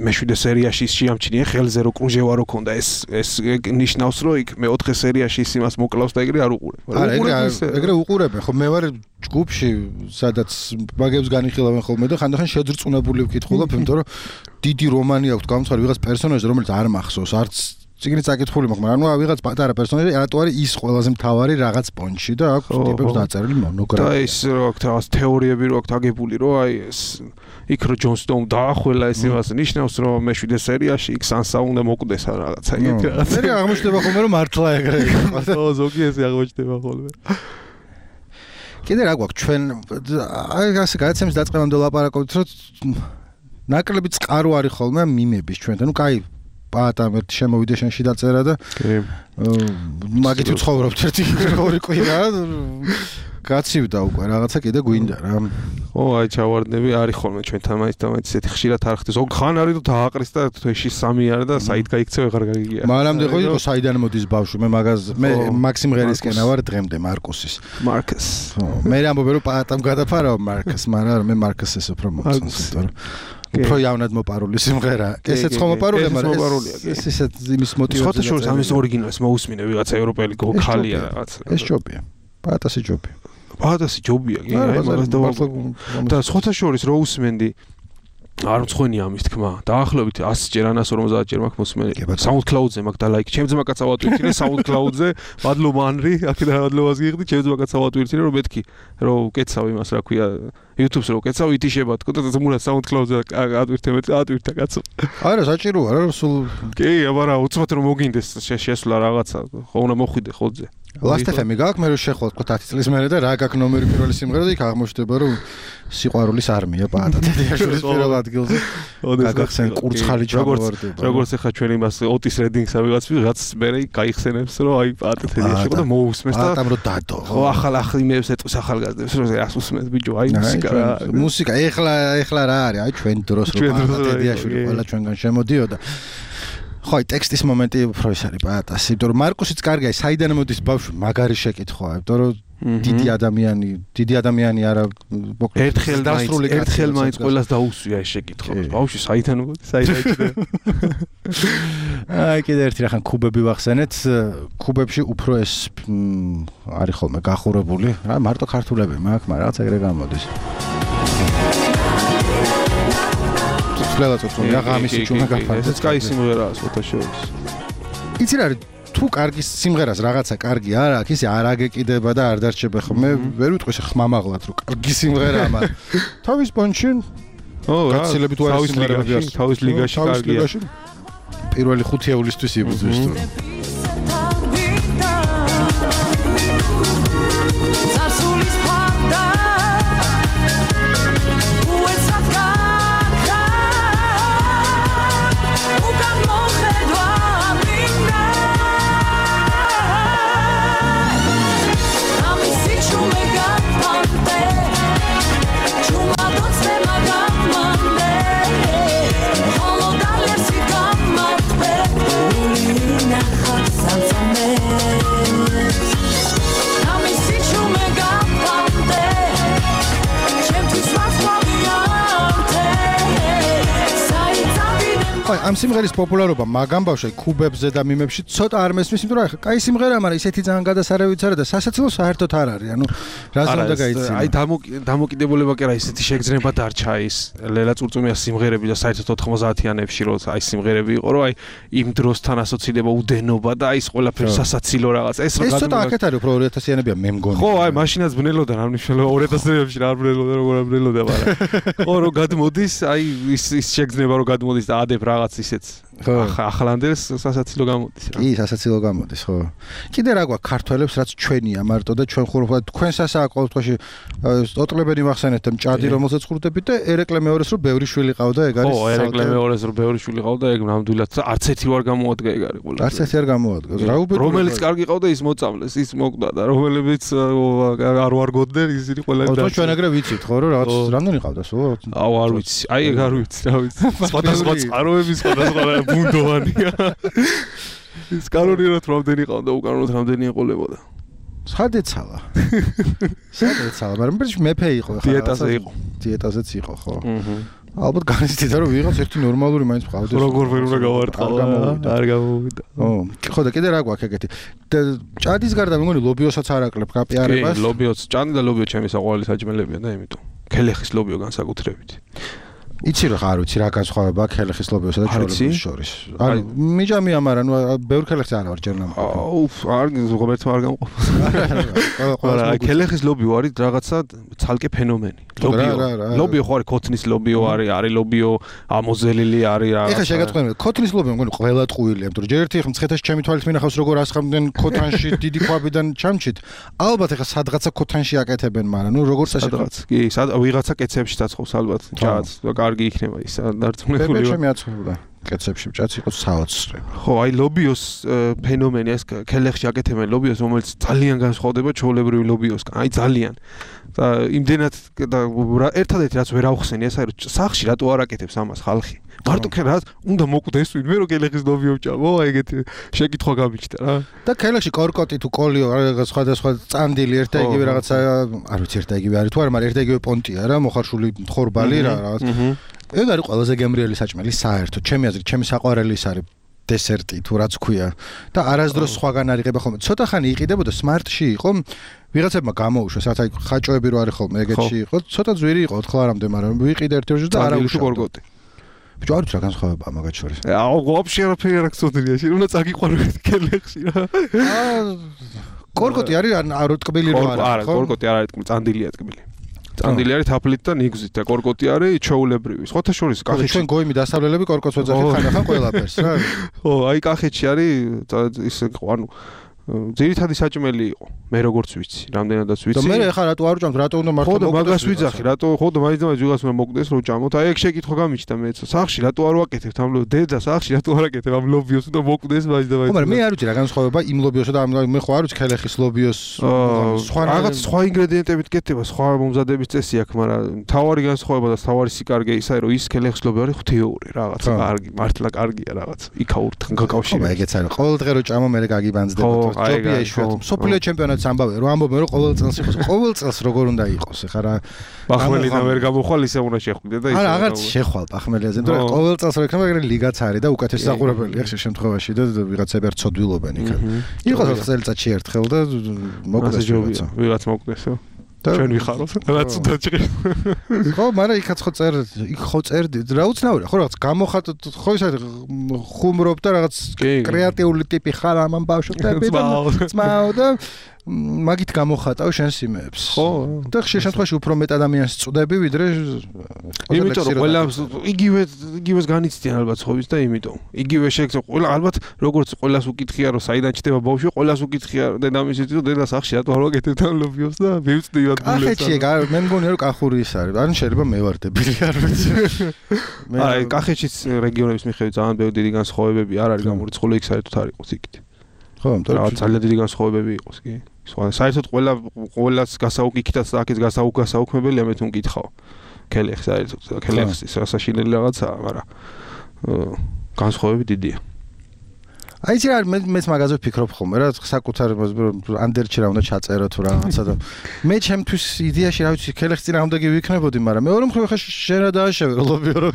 მეშვიდე სერიაში ის შეამჩნია ხელზე რო კრუჟევა რო ქონდა ეს ეს ნიშნავს რომ იქ მეოთხე სერიაში ის იმას მოკლავს და ეგრე არ უყურებ არა ეგრე ეგრე უყურებენ ხო მე ვარ ჯგუფში სადაც მაგებს განიხილავენ ხოლმე და ხანდახან შეძრწუნებული ვკითხულობ იმიტომ რომ დიდი რომანი აქვს გამცხარი ვიღაც პერსონაჟი რომელიც არ მახსოვს არც ციგნი წაკითხული მაქვს მაგრამ ანუ ვიღაც პატარა პერსონაჟი რატო არის ის ყველაზე მთავარი რაღაც პონჩი და აქვს ტიპებს დაწერილი მონოგრაფია და ის რო აქვს რაღაც თეორიები რო აქვს აგებული რომ აი ეს იქ რო ჯონ სტოუნ დაახველა ეს იმას ნიშნავს რომ მეშვიდე სერიაში იქ სანსა უნდა მოკვდეს რაღაცა ეგეთი რაღაცა მე აღმოჩნდება ხოლმე რომ მართლა ეგრე იყო ხო ზოგი ესე აღმოჩნდება ხოლმე კიდე რა გვაქვს ჩვენ აი ასე გადაცემის დაწყებამდე ლაპარაკობთ რომ ნაკლები წყარო არის ხოლმე მიმების ჩვენთან ნუ კაი პატამ ერთ შემოვიდა შენში დაწერა და მაგით ვცხოვრობთ ერთი ორი კვირა გაცივდა უკვე რაღაცა კიდე გვინდა რა. ო აი ჩავარდნები არის ხოლმე ჩვენთან მაინც და მაინც ესეთი ხშირად არ ხდება. ზოგ ხან არის თუ დააყრის და თვეში სამი არის და საით გაიქცევ აღარ გაგიგია. მანამდე ხო იყო საიდან მოდის ბავშვი მე მაგას მე მაქსიმ ღერისკენა ვარ დღემდე მარკუსის. მარკუს. მე ამბობ რომ პატამ გადაფარავ მარკუს, მაგრამ მე მარკუსის უფრო მოწონს, იმიტომ რომ უფრო იავნად მოპარული სიმღერა. ესეც ხომ მოპარულია, მაგრამ ეს ისეთ იმის მოტივაცია. ხოთა შორის ამის ორიგინალს მოусმინე ვიღაცა ევროპელი ხალია რაღაც. ეს ჯობია. პატასი ჯობია. პატასი ჯობია, კი, აი მაგას და ხოთა შორის რო უსმენდი არ მწხვენია ამის თქმა. დაახლოებით ასჯერ ან ას ორმოცდაათ ჯერ მაქვს მოსმენი. SoundCloud-ზე მაქვს და ლაიქი. ჩემ ძმა კაცსა ვატვირთინე SoundCloud-ზე, ბადლო მანრი, აქედან ბადლობას გიხდი, ჩემ ძმა კაცსა ვატვირთინე, რომ მეთქი, რომ უკეცავ იმას, რა ქვია, YouTube-ს რო უკეცავ, ითიშება თქო და ზმურად SoundCloud-ზე ატვირთე მე, ატვირთა კაცო. არა, საჭიროა რა, სულ კი, აბარა, უცბად რომ მოგინდეს შესვლა რაღაცა, ხო უნდა მოხვიდე ხოძე. Last F M გაქვს მე რო შეხვალ თქო ათი წლის მერე და რა გაქვს ნომერი პირველი სიმღერა და იქ აღმოჩნდება რომ სიყვარულის არმია პატა დედაშვილის პირველ ადგილზე გაგახსენ კურცხალი ჩამოვარდება როგორც ეხა ჩვენ იმას ოტის რედინგსა ვიღაც ვიღაც მერე გაიხსენებს რომ აი პატა დედაშვილ და მოусმეს და პატამ რო დადო ხო ახალ ახალიმებს ეტყვის ახალგაზრდებს რომ ას უსმენთ ბიჭო აი მუსიკა რა მუსიკა ეხლა ეხლა რა არის აი ჩვენ დროს რო პატა დედაშვილი ყველა ჩვენგან შემოდიოდა ხო აი ტექსტის მომენტი უფრო ის არის პატას იმიტომ რომ მარკუსიც კარგია საიდან მოდის ბავშვი მაგარი შეკითხვაა იმიტომ რომ დიდი ადამიანი დიდი ადამიანი არა ერთხელ დასრული ერთხელ მაინც ყველას დაუსვია ეს შეკითხვა ბავშვი საიდან მოდის საიდან აი კიდე ერთი რახან კუბები ვახსენეთ კუბებში უფრო ეს არის ხოლმე გახურებული რა მარტო ქართულები მაქვს მაგრამ რაღაც ეგრე გამოდის ლელაცო რა გამისი ჩუნა გაფარდა. ეს კაი სიმღერაა ხოთა შორის. იცი რა თუ კარგი სიმღერას რაღაცა კარგი არ აქვს, ისე არ აგეკიდება და არ დარჩება ხო. მე ვერ ვიტყვი ხმამაღლად რომ კარგი სიმღერაა, მაგრამ თავის პონჩი ო რა გაცილებით უარი სიმღერები აქვს. თავის ლიგაში კარგია. პირველი ხუთი ევლისთვის იბრძვის თუ. ამ სიმღერის პოპულარობა მაგამ ბავშვი კუბებზე და მიმებში ცოტა არ მესმის, იმიტომ რომ აი კაი სიმღერაა, მაგრამ ისეთი ძალიან გადასარავიც არა და სასაცილო საერთოდ არ არის. ანუ რაზე უნდა გაიცინო? აი დამოკიდებულება კი არა ისეთი შეგრძნება დარჩა ის ლელა წურწუმიას სიმღერები და საერთოდ ოთხმოცდაათიანებში რო აი სიმღერები იყო, რომ აი იმ დროსთან ასოცირდება უდენობა და აი ეს ყველაფერი სასაცილო რაღაც. ეს ეს ცოტა აქეთ არის უფრო ორი ათასიანებია მე მგონი. ხო, აი მაშინაც ბნელოდა რა მნიშვნელობა ორი ათასიანებში რა ბნელოდა როგორ ბნელოდა, მაგრამ ხო რო გადმოდის, აი ის ის შეგრძნება რო გადმოდის და ადებ რაღაც ისეც ახალანდელს სასაცილო გამოდის რა. კი, სასაცილო გამოდის, ხო. კიდე რა გვაქვს ქართველებს, რაც ჩვენია მარტო და ჩვენ ხუროთად თქვენ სასააკო თქვაში ოტლებენი ვახსენეთ და მჭადი რომელსაც ხურდებით და ერეკლე მეორეს რომ ბევრი შვილი ყავდა, ეგ არის. ხო, ერეკლე მეორეს რომ ბევრი შვილი ყავდა, ეგ ნამდვილად არც ერთი ვარ გამოადგა ეგ არის ყველა. არც ერთი არ გამოადგა. რა უბედური. რომელიც კარგი ყავდა ის მოწამლეს, ის მოკვდა და რომელებიც არ ვარგოდნენ ისინი ყველანი და. ხო, ჩვენ ეგრე ვიცით ხო, რომ რაღაც რამდენი ყავდა სულ? აუ, არ ვიცი. აი ეგ არ ვიცი, რა ვიცი. სხვადასხვა წყაროები, სხვადასხვა ბუნდოვანია. ის კანონიერად რამდენი ყავდა, უკანონოდ რამდენი ეყოლებოდა. სადეცალა. სადეცალა, მაგრამ მეფე იყო ხა. დიეტაზე იყო. დიეტაზეც იყო, ხო. აჰა. ალბათ განიცდიდა რომ ვიღაც ერთი ნორმალური მაინც ყავდეს. როგორ ვერ უნდა გავარტყავა, არ გამოვიდა. ო, ხო და კიდე რა გვაქვს ეგეთი. ჭადის გარდა მე მგონი ლობიოსაც არ აკლებ გაპიარებას. კი, ლობიოც, ჭადი და ლობიო ჩემი საყვარელი საჭმელებია და იმიტომ. ქელეხის ლობიო განსაკუთრებით. იცი რა არ ვიცი რა განსხვავება ქელეხის ლობიოსა და ჩორების შორის. ანუ მიჯამია, მაგრამ ნუ ბევრ ქელეხს არ ვარ ჯერ ნამყოფი. აუ, არ ღობერთო არ გამყოფ. არა, ქელეხის ლობიო არის რაღაცა ცალკე ფენომენი. ლობიო. ლობიო ხო არის ქოთნის ლობიო არის, არის ლობიო ამოზელილი არის რა. ეხლა შეგატყვინე, ქოთნის ლობიო მგონი ყველა ტყუილია, იმიტომ რომ ჯერ ერთი ხომ მცხეთაში ჩემი თვალით მინახავს როგორ ასხამდნენ ქოთანში დიდი ქვაბიდან ჩამჩით. ალბათ ეხლა სადღაცა ქოთანში აკეთებენ, მაგრამ ნუ როგორ სადღაც. კი, ვიღაცა კეცებში დაწყობს ალბათ. ჯაც. კარგი იქნება ის დარწმუნებული. მე ჩემი აცხოვდა. კეცებში მჭაც იყო საოცრე. ხო, აი ლობიოს ფენომენი ეს ქელეხში აკეთებენ ლობიოს, რომელიც ძალიან განსხვავდება ჩვეულებრივი ლობიოსგან. აი ძალიან. და იმდენად და ერთადერთი რაც ვერ ავხსენი ეს არის რომ სახში რატო არ აკეთებს ამას ხალხი? მარტო რა უნდა მოკვდეს ვინმე რომ ქელეხის ლობიო ვჭამო, აი ეგეთი შეკითხვა გამიჩნდა რა. და ქელეხში კორკოტი თუ კოლიო რაღაც სხვადასხვა წანდილი ერთ და იგივე რაღაცა არ ვიცი ერთ და იგივე არის თუ არა, მაგრამ ერთ და იგივე პონტია რა, მოხარშული ხორბალი რა რაღაც. ეგ არის ყველაზე გემრიელი საჭმელი საერთოდ. ჩემი აზრით, ჩემი საყვარელი ის არის დესერტი თუ რაც ქვია და არასდროს სხვაგან არ იღება ხოლმე. ცოტა ხანი იყიდებოდა სმარტში იყო, ვიღაცებმა გამოუშვეს, რაც აი ხაჭოები რო არის ხოლმე ეგეთში იყო, ცოტა ძვირი იყო ოთხ ლარამდე, მაგრამ ვიყიდე ერთ ჯერში და არა უშავდა კორკოტი. ბიჭო არ ვიცი რა განსხვავებაა მაგათ შორის. აუ, ვაფშე არაფერი არ გწოდნია, შენ უნდა წაგიყვანო ქელეხში რა. აა კორკოტი არის არ ტკბილი რო არა, არა, კორკოტი არ არის ტკბილი, წანდილია ტკბილი. წანდილი არის თაფლით და ნიგზით და კორკოტი არის ჩვეულებრივი. სხვათა შორის კახეთში ჩვენ გოიმი დასავლელები კორკოტს ვეძახით ხანახან ყველაფერს რა. ხო, აი კახეთში არის ის ანუ ძირითადი საჭმელი იყო. მე როგორც ვიცი, რამდენადაც ვიცი. და მე ეხლა რატო არ ვჭამთ, რატო უნდა მართლა მოკვდეს? ხო, მაგას ვიძახი, რატო ხო და მაინც და მაინც ვიღაც უნდა მოკვდეს რომ ჭამოთ. აი ეგ შეკითხვა გამიჩნდა მეც. სახში რატო არ ვაკეთებთ ამ ლობიოს? დედა სახში რატო არ აკეთებ ამ ლობიოს და მოკვდეს მაინც და მაინც. ხო, მაგრამ მე არ ვიცი რა განსხვავება იმ ლობიოსა და ამ მე ხო არ ვიცი ქელეხის ლობიოს სხვა რაღაც სხვა ინგრედიენტებით კეთდება, სხვა მომზადების წესი აქვს, მაგრამ თავარი განსხვავება და თავარი სიკარგე ისაა რომ ის ქელეხის ლობიო არის ღვთიური რაღაც კარგი, მართლა კარგია რაღაც. იქაურ გაკავშირება. ხო, ეგეც არის. ყოველ დღე რო ჭამო მე გაგიბანძდება. ჯობია იშვიათად. მსოფლიო ჩემპიონატს ამბავე რომ ამბობენ რომ ყოველ წელს იყოს. ყოველ წელს როგორ უნდა იყოს? ეხლა რა ბახმელიდან ვერ გამოხვალ ისე უნდა შეხვიდე და ისე. არა, აღარც შეხვალ ბახმელიაზე, მაგრამ ყოველ წელს რო იქნება ეგრე ლიგაც არის და უკეთესი საყურებელია ხშირ შემთხვევაში და ვიღაცები არ ცოდვილობენ იქად. იყოს წელიწადში ერთხელ და მოკვდეს ჯობია. ვიღაც მოკვდესო. ჩვენ ვიხაროთ. რაც უნდა ჭირს. ხო, მაგრამ იქაც ხო წერ, იქ ხო წერდი. რა უცნაურია, ხო რაღაც გამოხატ ხო ის არის ხუმრობ და რაღაც კრეატიული ტიპი ხარ ამ ბავშვები და ძმაო და მაგით გამოხატავ შენ სიმეებს. ხო. და ხშირ შემთხვევაში უფრო მეტ ადამიანს წვდები ვიდრე იმიტომ რომ ყველა იგივე იგივეს განიცდიან ალბათ ხობის და იმიტომ. იგივე შეგწო ყველა ალბათ როგორც ყველას უკითხია რომ საიდან ჩდება ბავშვი, ყველას უკითხია დედამისით რომ დედა სახში რატო არ ვაკეთებ ამ ლობიოს და მივწდივად გულებს. კახეთში მე მგონია რომ კახური ის არის. ან შეიძლება მე ვარ დებილი არ ვიცი. აი კახეთშიც რეგიონების მიხედვით ძალიან ბევრი დიდი განსხვავებები არ არის გამორიცხული, იქ საერთოდ არ იყოს იქით. ხო, მაგრამ ძალიან დიდი განსხვავებები იყოს კი. სხვა საერთოდ ყველა ყველას გასაუკითხითაც და აქეთ გასაუკგასაუქმებელია მე თუ მკითხავ. ქელეხს საერთოდ ქელეხს ის სასაშინელი რაღაცაა, მაგრამ განსხვავებები დიდია. აი ეს რა მე მეც მაგაზე ვფიქრობ ხოლმე რა საკუთარ ანდერჩი რა უნდა ჩაწერო თუ რაღაცა და მე ჩემთვის იდეაში რა ვიცი ქელეხს წინ ამდა გივიქნებოდი, მაგრამ მეორე მხრივ ხა შენ რა დააშევე ლობიო რო.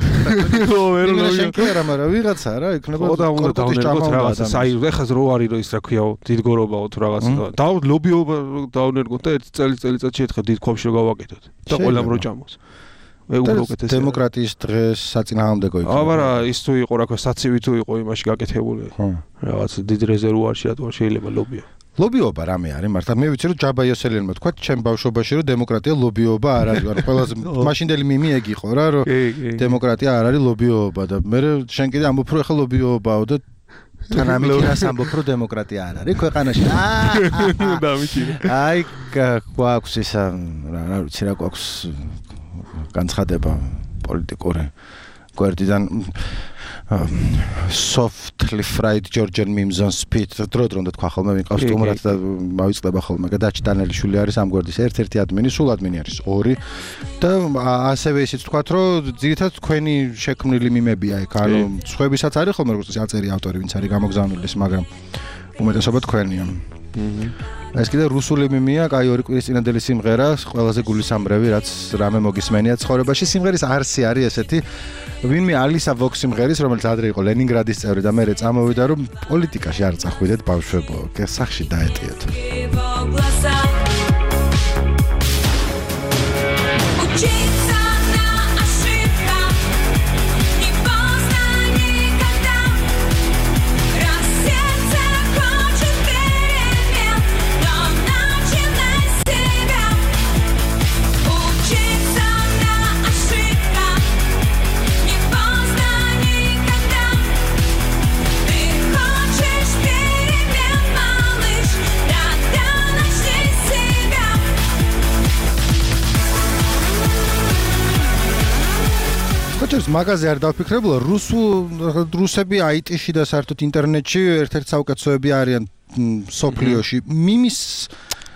ხო, ვერ ლობიო. შენ კი არა, მაგრამ ვიღაცა რა იქნება კორკოტის ჭამა რაღაცა საერთოდ ეხას რო არის რომ ის რა ქვიაო დიდგორობაო თუ რაღაცა და ლობიო დაუნერგოთ და ერთ წელი წელიწადში ერთხელ დიდ ქვაბში რო გავაკეთოთ და ყველამ რო ჭამოს. ეუბროკეთეს დემოკრატიის დღეს საწინააღმდეგო იყო. აბარა ის თუ იყო რა ქვია საცივი თუ იყო იმაში გაკეთებული. რაღაც დიდ რეზერვუარში რატო შეიძლება ლობიო. ლობიობა რამე არის მართლა მე ვიცი რომ ჯაბა იოსელიანმა თქვა ჩემ ბავშვობაში რომ დემოკრატია ლობიობა არ არის. ანუ ყველაზე მაშინდელი მიმი ეგ იყო რა რომ დემოკრატია არ არის ლობიობა და მე შენ კიდე ამბობ რომ ახლა ლობიობაო და თან ამიქირას ამბობ რომ დემოკრატია არ არის ქვეყანაში. აა დამიჭირე. აი გვაქვს ისა რა ვიცი რა გვაქვს განცხადება პოლიტიკური გვერდიდან softly fried Georgian memes on speed დრო დრო უნდა თქვა ხოლმე ვინყავს სტუმრად და მავიწყდება ხოლმე გადაჭ დანელიშვილი არის ამ გვერდის ერთ-ერთი ადმინი, სულ ადმინი არის ორი და ასევე ისიც თქვათ რომ ძირითადად თქვენი შექმნილი მიმებია იქ, ანუ სხვებისაც არის ხოლმე როგორც აწერი ავტორი ვინც არის გამოგზავნილი, მაგრამ უმეტესობა თქვენია. ეს კიდე რუსული მიმია, კაი ორი კვირის წინანდელი სიმღერა, ყველაზე გულისამრევი, რაც რამე მოგისმენია ცხოვრებაში. სიმღერის არსი არის ესეთი, ვინმე ალისა ვოქ სიმღერის, რომელიც ადრე იყო ლენინგრადის წევრი და მერე წამოვიდა, რომ პოლიტიკაში არ წახვიდეთ ბავშვებო, სახში დაეტიოთ. ხოჭერს მაგაზე არ დავფიქრებულა რუსულ რუსები აიტში და საერთოდ ინტერნეტში ერთ-ერთი საუკეთესოები არიან სოფლიოში მიმის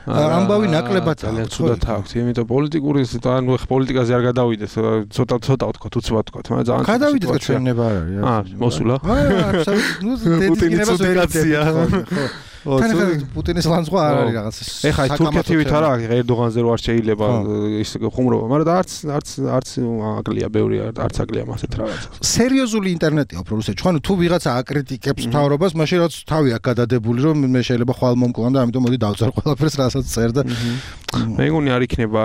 ამბავი ნაკლებად ძალიან ცუდად აქვს იმიტომ პოლიტიკური ანუ ხ პოლიტიკაზე არ გადავიდეთ ცოტა ცოტა ვთქვა უცბად ვთქვა მაგრამ ძალიან გადავიდეთ და ჩვენება არ არის აა მოსულა აა აბსოლუტურად პუტინის ფედერაცია თან პუტინის ლანძღვა არ არის რაღაც ეხა თურქეთივით არა ერდოღანზე რო არ შეიძლება ის ხუმრობა მაგრამ და არც არც არც აკლია ბევრი არც აკლია მასეთ რაღაცა სერიოზული ინტერნეტია უფრო რუსეთში ხო ანუ თუ ვიღაცა აკრიტიკებს მთავრობას მაშინ რაც თავი აქ გადადებული რომ მე შეიძლება ხვალ მომკლან და ამიტომ მოდი დავწერ ყველაფერს რასაც წერდა მე მგონი არ იქნება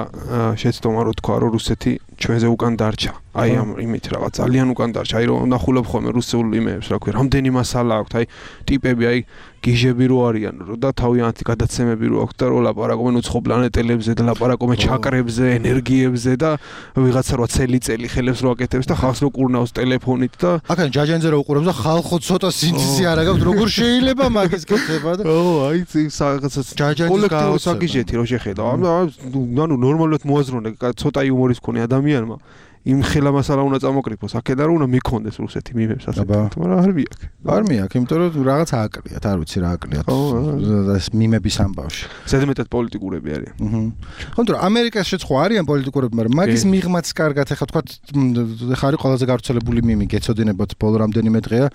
შეცდომა რო თქვა რომ რუსეთი ჩვენზე უკან დარჩა აი ამ იმით რაღაც ძალიან უკან დარჩა აი რომ ნახულობ ხოლმე რუსულ იმეებს რა ქვია რამდენი მასალა აქვს აი ტიპები აი გიჟები რო არიან რო და თავიანთი გადაცემები რო აქვს და რო ლაპარაკობენ უცხო პლანეტელებზე და ლაპარაკობენ ჩაკრებზე ენერგიებზე და ვიღაცა რო წელი-წელი ხელებს რო აკეთებს და ხალხს რო კურნავს ტელეფონით და აქან ჯაჯანზე რო უყურებს და ხალხო ცოტა სინთეზი არ აქვს როგორ შეიძლება მაგის კეთება და ო აი რაღაცა კოლექტიურ საგიჟეთი რო შეხედა ანუ ნორმალურად მოაზროვნე ცოტა იუმორის მქონე ადამიანმა იმ ხელა მასალა უნდა წამოკრიფოს აქედან რომ უნდა მიქონდეს რუსეთი მიმებს ასე მაგრამ არ მიაქვს არ მიაქვს იმიტომ რომ რაღაც ააკლიათ არ ვიცი რა ააკლიათ ეს მიმების ამბავში ზედმეტად პოლიტიკურები არიან აჰა ხო თორე ამერიკაში ხო არიან პოლიტიკურები მაგრამ მაგის მიღმაც კარგად ეხა თქვა ეხა არის ყველაზე გავრცელებული მიმი გეცოდინებათ ბოლო რამდენიმე დღეა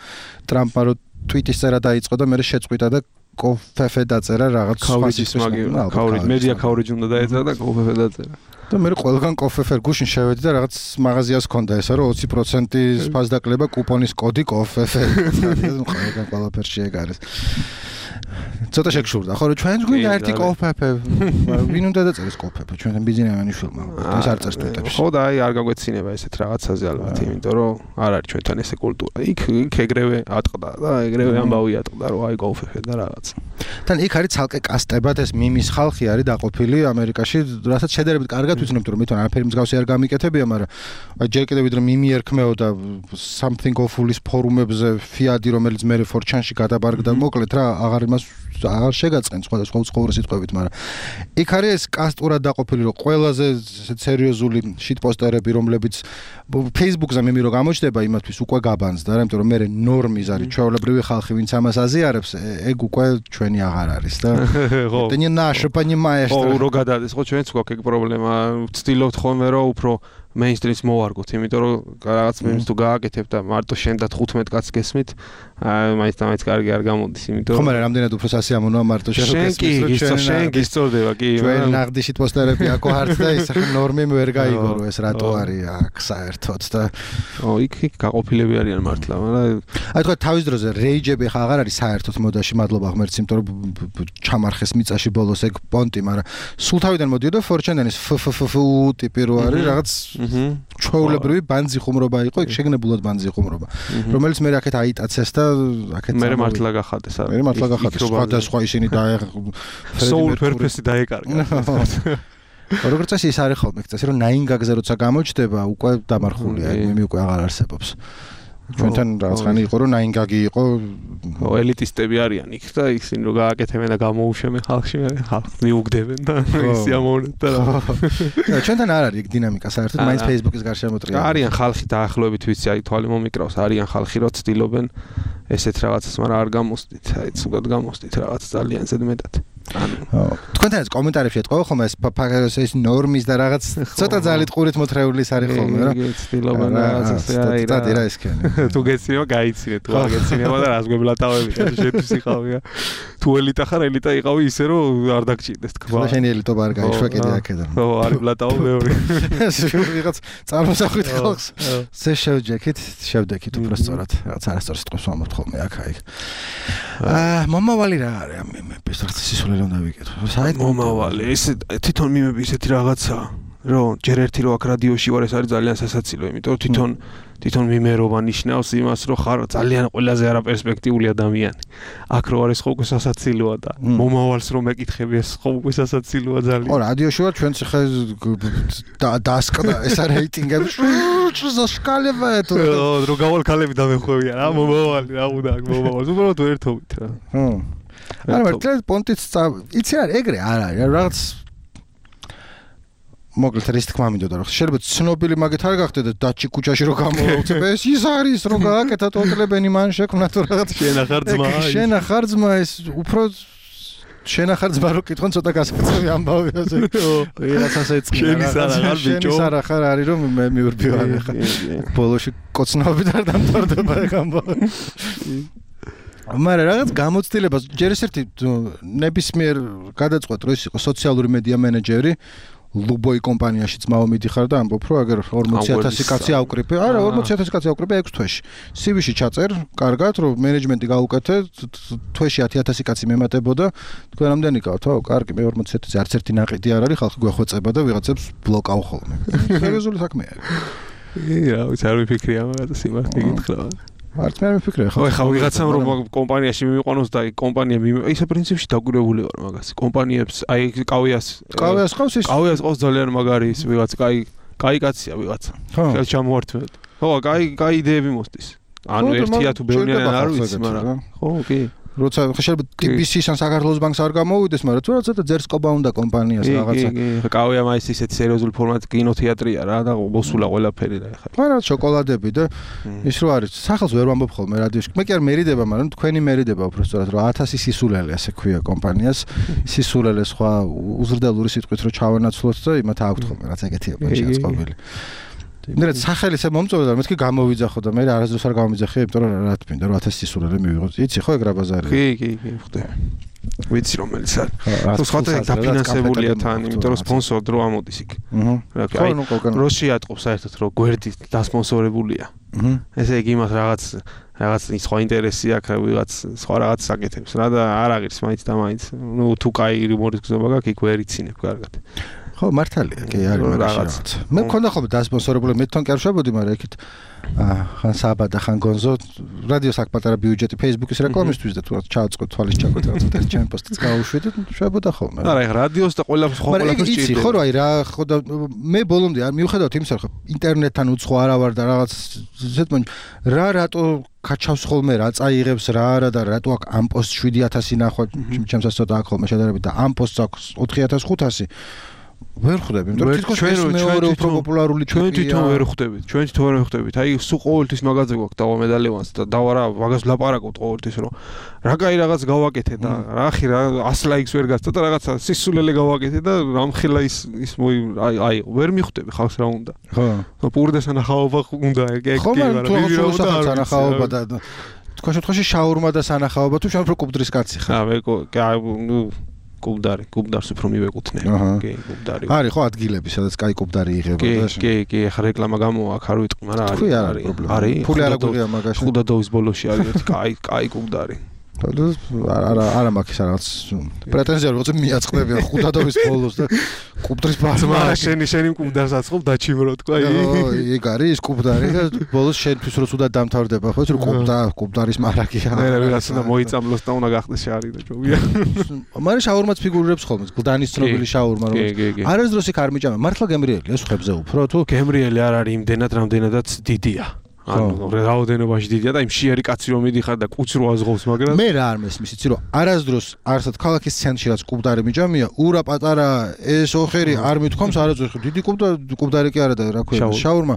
ტრამპმა რო ტვიტის წერა დაიწყო და მე შეწყვიტა და კოფეფე დაწერა რაღაც სხვა სისტემა კავრიჯ მედია კავრიჯ უნდა დაეწერა და კოფეფე დაწერა და მე ყველგან კოფეფერ გუშინ შევედი და რაღაც მაღაზიას ჰქონდა ესა რომ ოცი პროცენტის ფასდაკლება კუპონის კოდი კოფეფე ყველგან ყველაფერში ეგ არის ცოტა შეგშურდა ხო რომ ჩვენ გვინდა ერთი კოფეფე ვინ უნდა დაწერეს კოფეფე ჩვენთან ბიზნესმენი შულმა ეს არ წერს ტვიტებში ხო და აი არ გაგვეცინება ესეთ რაღაცაზე ალბათ იმიტომ რომ არ არის ჩვენთან ესე კულტურა იქ იქ ეგრევე ატყდა და ეგრევე ამბავი ატყდა რომ აი კოფეფე და რაღაც თან იქ არის ცალკე კასტებად ეს მიმის ხალხი არის დაყოფილი ამერიკაში რასაც შედარებით კარგად ვიცნობთ რომ მithon არაფერი მსგავსი არ გამიკეთებია მაგრამ აი ჯერ კიდევ ვიდრე მიმი ერქმეოდა something awful-ის ფორუმებზე ფიადი რომელიც მე ფორჩანში გადაბარგდა მოკლედ რა აღარ იმას აღარ შეგაწყენ სხვადასხვა უცხოური სიტყვებით მაგრამ იქ არის ეს კასტურად დაყოფილი რომ ყველაზე სერიოზული შიტპოსტერები რომლებიც Facebook-ზე მე რო გამოჩნდება იმათთვის უკვე გაბანძდა რა იმიტომ რომ მე ნორმის არის ჩვეულებრივი ხალხი ვინც ამას აზიარებს ეგ უკვე ჩვენი აღარ არის და ხო ты не наше понимаешь ხო რო გადადეს ხო ჩვენც გვაქვს ეგ პრობლემა ვცდილობთ ხოლმე რომ უფრო mainstream-ს მოვარგოთ იმიტომ რომ რაღაც მემს თუ გააკეთებ და მარტო შენ და თხუთმეტ კაცს გესმით აი მაინც და მაინც კარგი არ გამოდის იმიტომ რომ ხომ რამდენად უფრო სასიამოვნოა მარტო შენ გესმის რომ ჩვენ შენ გისწორდება კი ჩვენ ნაღდიში პოსტერები აქ არც და ის ახლა ნორმი ვერ გაიგო ეს რატო არის აქ საერთოდ და ო იქ იქ გაყოფილები არიან მართლა მაგრამ აი თქვა თავის დროზე რეიჯები ხა აღარ არის საერთოდ მოდაში მადლობა ღმერთს იმიტომ რომ ჩამარხეს მიწაში ბოლოს ეგ პონტი მაგრამ სულ თავიდან მოდიოდა ფორჩენდენის ფფფ ტიპი რო არის რაღაც ჩვეულებრივი ბანძი ხუმრობა იყო იქ შეგნებულად ბანძი ხუმრობა რომელიც მე აქეთ აიტაცეს და აქეთ მე მართლა გახადეს არა მე მართლა გახადეს სხვადასხვა ისინი დაე soul purpose-ი დაეკარგა როგორც წესი ის არის ხოლმე წესი რომ nine gag-ზე როცა გამოჩნდება უკვე დამარხულია მე უკვე აღარ არსებობს ჩვენთან რაღაც ხანი იყო რომ nine gag-ი იყო ელიტისტები არიან იქ და ისინი რო გააკეთებენ და გამოუშვებენ ხალხში ხალხს მიუგდებენ და ისიამოვნებენ და რა ჩვენთან არ არის ეგ დინამიკა საერთოდ მაინც Facebook-ის გარშემოტრია არიან ხალხი დაახლოებით ვიცი აი თვალი მომიკრავს არიან ხალხი რო ცდილობენ ესეთ რაღაცას მაგრამ არ გამოსდით აი ცუდად გამოსდით რაღაც ძალიან ზედმეტად თქვენთან ეს კომენტარებში ეთყობა ხოლმე ეს ეს ნორმის და რაღაც ცოტა ძალით ყურით მოთრეულის არის ხოლმე რა ცდილობენ რაღაცას აი რა და ეს ქენი თუ გეცინება გაიცინე თუ არ გეცინება და რას გვებლატავები შეთვის იყავია თუ ელიტა ხარ ელიტა იყავი ისე რომ არ დაგჭირდეს თქვა და შენი ელიტობა არ გაიშვა კიდე აქედან ხო არის ბლატავ მეორე ვიღაც წარმოსახვით ხალხს ზე შევჯექით შევდექით უფრო სწორად რაღაც არასწორ სიტყვებს ვამბობთ ხოლმე აქ აი აა მომავალი რა არის ამ მემების რაღაც სისულელე რომ დავიკეთო საერთოდ მომავალი ეს თვითონ მიმები ისეთი რაღაცა რომ ჯერ ერთი რო აქ რადიოში ვარ ეს არის ძალიან სასაცილო იმიტომ რომ თვითონ თვითონ მიმერობა ნიშნავს იმას რომ ხარ ძალიან ყველაზე არაპერსპექტიული ადამიანი აქ რო არის ხო უკვე სასაცილოა და მომავალს რომ მეკითხები ეს ხო უკვე სასაცილოა ძალიან ხო რადიოში ვარ ჩვენც ხე დასკდა ეს რეიტინგები ზაშკალება ეთო რო გავალ ქალები დამეხვევიან რა მომავალი რა უნდა მომავალს უბრალოდ ერთობით რა ჰმ არა მართლა პონტიც იცი არ ეგრე არ არის რაღაც მოკლედ რის თქმა მინდოდა რომ შეიძლება ცნობილი მაგეთ არ გახდეთ დაჩი ქუჩაში რო გამოვაუწებ ეს ის არის რომ გააკეთა ტოტლებენი მან შექმნა თუ რაღაც შენახარ ძმა შენახარ ძმა ეს უფრო შენახარ ძმა რო კითხონ ცოტა გასაკეთებელი ამბავი ასე ვიღაცას ეწყინა შენის არა ხარ არის რომ მე მიურბივარ ხა ბოლოში კოცნობით არ დამთავრდება ეგ ამბავი მაგრამ რაღაც გამოცდილებას ჯერ ეს ერთი ნებისმიერ გადაწყვეტ რომ ის იყო სოციალური მედია მენეჯერი ლუბოი კომპანიაში ძმაო მიდიხარ და ამბობ რომ აგერ ორმოცი ათასი კაცი ავკრიფე არა ორმოცი ათასი კაცი ავკრიფე ექვს თვეში სივიში ჩაწერ კარგად რომ მენეჯმენტი გაუკეთე თვეში ათი ათასი კაცი მემატებოდა თქვენ რამდენი გავთ ხო კარგი მე ორმოცი ათასი არც ერთი ნაყიდი არ არის ხალხი გვეხვეწება და ვიღაცებს ბლოკავ ხოლმე სერიოზული საქმეა ი რა ვიცი არ ვიფიქრია მაგას სიმართლე გითხრა არც მე არ მიფიქრე ხო ხო ვიღაცამ რომ კომპანიაში მივიყვანოს და კომპანია ისე პრინციპში დაგურებული ვარ მაგას კომპანიებს აი კავიას კავიას ყავს ის კავიას ყავს ძალიან მაგარი ის ვიღაც კაი კაი კაცია ვიღაცა ხელს ჩამოვართმევთ ხო კაი კაი იდეები მოსდის ანუ ერთია თუ ბევრნი არ ვიცი მაგრამ ხო კი როცა შეიძლება ტი ბი სი-სან საქართველოს ბანკს არ გამოვიდეს, მაგრამ თუ როცა ძერსკობა უნდა კომპანიას რაღაცა. კი, კი, კავია მაის ისეთ სერიოზული ფორმატი კინოთეატრია რა და მოსულა ყველაფერი რა ეხლა. მაგრამ შოკოლადები და ის რო არის, სახელს ვერ ვამბობ ხოლმე რადიოში. მე კი არ მერიდება, მაგრამ თქვენი მერიდება უბრალოდ რომ ათასი სისულელე ასე ქვია კომპანიას. სისულელე სხვა უზრდელური სიტყვით რო ჩავენაცვლოთ და იმათ აქვთ ხოლმე რაც ეგეთია შეწყობილი. მე სახელის მომწონდა მეთქი გამოვიძახო და მე არასდროს არ გამომიძახე, იმიტომ რომ რა თქმა უნდა რომ ათასი სისულელე მივიღოთ. იცი ხო ეგ რა ბაზარია? კი, კი, კი, ხვდები. ვიცი რომელიც არის. თუ სხვათა დაფინანსებულია თან, იმიტომ რომ სპონსორ დრო ამოდის იქ. აჰა. რო შეატყობს საერთოდ რომ გვერდი დასპონსორებულია. აჰა. ესე იგი იმას რაღაც რაღაც სხვა ინტერესი აქვს, ვიღაც სხვა რაღაც საკეთებს რა და არ აღირს მაინც და მაინც. ნუ თუ კაი რუმორის გზობა გაქვს, იქ ვერ იცინებ კარგად. ხო მართალია კი არის რაღაც მე მქონდა ხოლმე დასპონსორებული მე თან კერშობოდი მაგრამ იქით ხან საბადა ხან გონზო რადიოს აქ პატარა ბიუჯეტი ფეისბუქის რეკლამისთვის და თუ ჩააწყო თვალის ჩაკვეთა ერთ ჩემ პოსტს გავუშვიდეთ შვებოდა ხოლმე არა ეხლა რადიოს და ყველა სხვა ყველაფერს ჭირდება ხო რა აი რა ხო და მე ბოლომდე არ მივხედავთ იმის რომ ინტერნეტთან უცხო არა ვარ და რაღაც ზეთმონ რა რატო კაჩავს ხოლმე რა წაიღებს რა არა და რატო აქ ამ პოსტს შვიდი ათასი ნახვა ჩემსაც ცოტა აქ ხოლმე შედარებით და ამ პოსტს აქვს ოთხი ათას ხუთასი ვერ ხვდები, იმიტომ რომ თითქოს ეს მეორე უფრო პოპულარული ჩვენ თვითონ ვერ ხვდებით. ჩვენ თვითონ ვერ ხვდებით. აი სულ ყოველთვის მაგაზე გვაქვს დავა მედალევანს და დავა რა მაგას ვლაპარაკობთ ყოველთვის რომ რა კაი რაღაც გავაკეთე და რა ხი რა ას ლაიქს ვერ გასწა და რაღაცა სისულელე გავაკეთე და რამხელა ის ის აი აი ვერ მიხვდები ხალხს რა უნდა. ხო. პურდეს ანახაობა უნდა ეგ ეგ კი მაგრამ ვირავა და ანახაობა და თქვენ შემთხვევაში შაურმა და სანახაობა თუ შენ უფრო კუბდრის კაცი ხარ. აა მე ნუ კუბდარი, კუბდარს უფრო მივეკუთვნე. კი, კუბდარი. არის ხო ადგილები, სადაც კაი კუბდარი იღება და შე. კი, კი, ახლა რეკლამა გამოვა, აქ არ ვიტყვი, მაგრამ არის. არის პრობლემა. არის. ფული არ აგვიღია მაგაში. ხუდადოვის ბოლოში არის ერთი კაი, კაი კუბდარი. არა არა მაქვს რაღაც პრეტენზია რომ მიაწყდებიან ხუდადოვის ბოლოს და კუბდრის ბაზმა შენი შენი კუბდარს აწყობ დაჩიმრო თქვა იქ არის ის კუბდარი და ბოლოს შენთვის რო თუდად დამთავრდება ხო რომ კუბდა კუბდარის მარაგია მე რა ვიღაც უნდა მოიწამლოს და უნდა გახდეს შარი და ჯობია მაგრამ შაურმაც ფიგურირებს ხოლმე გლდანის ცნობილი შაურმა რომ არასდროს იქ არ მიჭამა მართლა გემრიელია სხვებზე უფრო თუ გემრიელი არ არის იმდენად რამდენადაც დიდია ანუ რაოდენობაში დიდია და იმ შიერი კაცი რომ მიდიხარ და კუც რო აზღობს მაგრამ მე რა არ მესმის იცი რომ არასდროს არსად ქალაქის ცენტრში რაც კუბდარი მიჭამია ურა პატარა ეს ოხერი არ მithქვამს არასდროს დიდი კუბდარი კუბდარი კი არა და რა ქვია შაურმა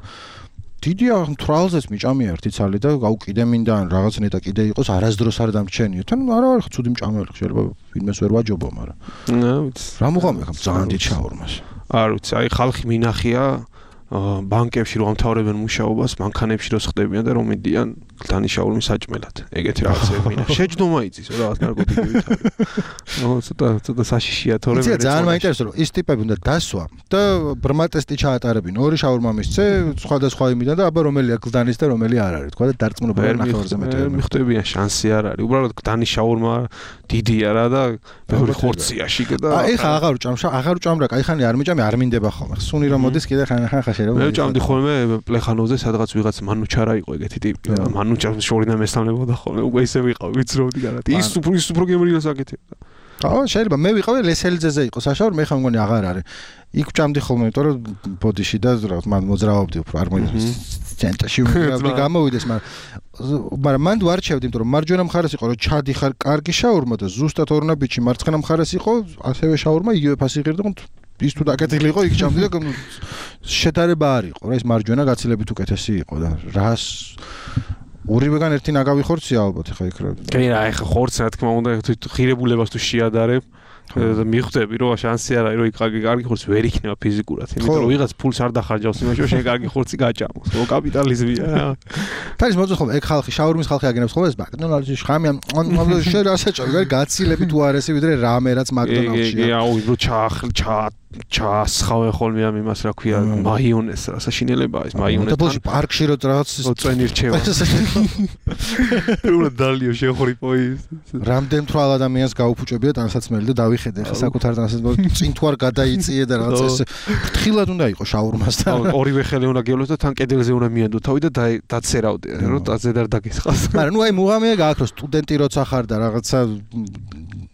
დიდია თვალზეც მიჭამია ერთი ცალი და გაუკიდე მინდა ან რაღაც ნეტა კიდე იყოს არასდროს არ დამრჩენია თან არა არა ცუდი მჭამელი შეიძლება ვინმეს ვერ ვაჯობო მაგრამ რა ვიცი რა მოყავი ხა ძალიან დიდ შაურმას არ ვიცი აი ხალხი მინახია ბანკებში რომ ამთავრებენ მუშაობას, მანქანებში რომ ხდებიან და რომ მიდიან გლდანის შაურმის საჭმელად. ეგეთი რაღაცები მინახ. შეჯდომა იცის, რა რაღაც ნარკოტიკებით არის. ნუ ცოტა ცოტა საშიშია თორემ მე ძალიან მაინტერესებს რომ ის ტიპები უნდა დასვა და ბრმა ტესტი ჩაატარებინ. ორი შაურმა მისცე, სხვადასხვა იმიდან და აბა რომელია გლდანის და რომელი არ არის, თქვა და დარწმუნებული ნახევარზე მეტი. მიხვდებიან შანსი არ არის. უბრალოდ გლდანის შაურმა დიდია რა და ბევრი ხორცია შიგ და აი ხა აღარ ვჭამშა, აღარ ვჭამ რა, კაი ხანი არ მიჭამე, არ მინდება ხოლმე. სუნი რომ მოდის კიდე ხან ხან ხა მე ვჭამდი ხოლმე პლეხანოვზე სადღაც ვიღაც მანუჩარა იყო ეგეთი ტიპი მანუჩარს შორიდან მესამნებოდა ხოლმე უკვე ისე ვიყავი ვიცროდი გარეთ ის უფრო ის უფრო გემრიელს აკეთებდა აა შეიძლება მე ვიყავი ლესელიძეზე იყო საშაური მე ხან მგონი აღარ არის იქ ვჭამდი ხოლმე იმიტომ რომ ბოდიში და რაღაც მან მოძრავობდი უფრო არ მოიდეს ცენტრში უნდა გამოვიდეს მაგრამ მაგრამ მანდ ვარჩევდი იმიტომ რომ მარჯვენა მხარეს იყო რომ ჩადიხარ კარგი შაურმა და ზუსტად ორნაბიჯი მარცხენა მხარეს იყო ასევე შაურმა იგივე ფასი ღირდა ის თუ დაკეთილი იყო იქ ჩამდი და შედარება არ იყო რა ეს მარჯვენა გაცილებით უკეთესი იყო და რას ორივეგან ერთი ნაგავი ხორცია ალბათ ხა იქ რა. კი რა ეხა ხორცი რა თქმა უნდა ღირებულებას თუ შეადარებ და მიხვდები რომ შანსი არა რომ იქ კარგი ხორცი ვერ იქნება ფიზიკურად იმიტომ რომ ვიღაც ფულს არ დახარჯავს იმაში რომ შენ კარგი ხორცი გაჭამოს ხო კაპიტალიზმია რა თარის მოძო ხომ ეგ ხალხი შაურმის ხალხი აგენებს ხოლმე ეს მაკდონალდსში ხამია შენ რასაჭარი ვარ გაცილებით უარესი ვიდრე რამე რაც მაკდონალდსში კი აუ რო ჩაახლ ჩა ჩასხავენ ხოლმე ამ იმას რა ქვია მაიონეზს რა საშინელებაა ეს მაიონეზი და ბოლში პარკში რო რაღაც წვენი რჩევა უნდა დალიო შეხორიპო ის რამდენ თვალ ადამიანს გაუფუჭებია ტანსაცმელი და დავიხედე ხა საკუთარ ტანსაცმელს წინ თუ არ გადაიწიე და რაღაც ეს ფრთხილად უნდა იყოს შაურმასთან ორივე ხელი უნდა გევლოს და თან კედელზე უნდა მიანდო თავი და დაცერავდე რომ დაზე და დაგესხას მაგრამ ნუ აი მუღამია გააქრო სტუდენტი როცა ხარ და რაღაცა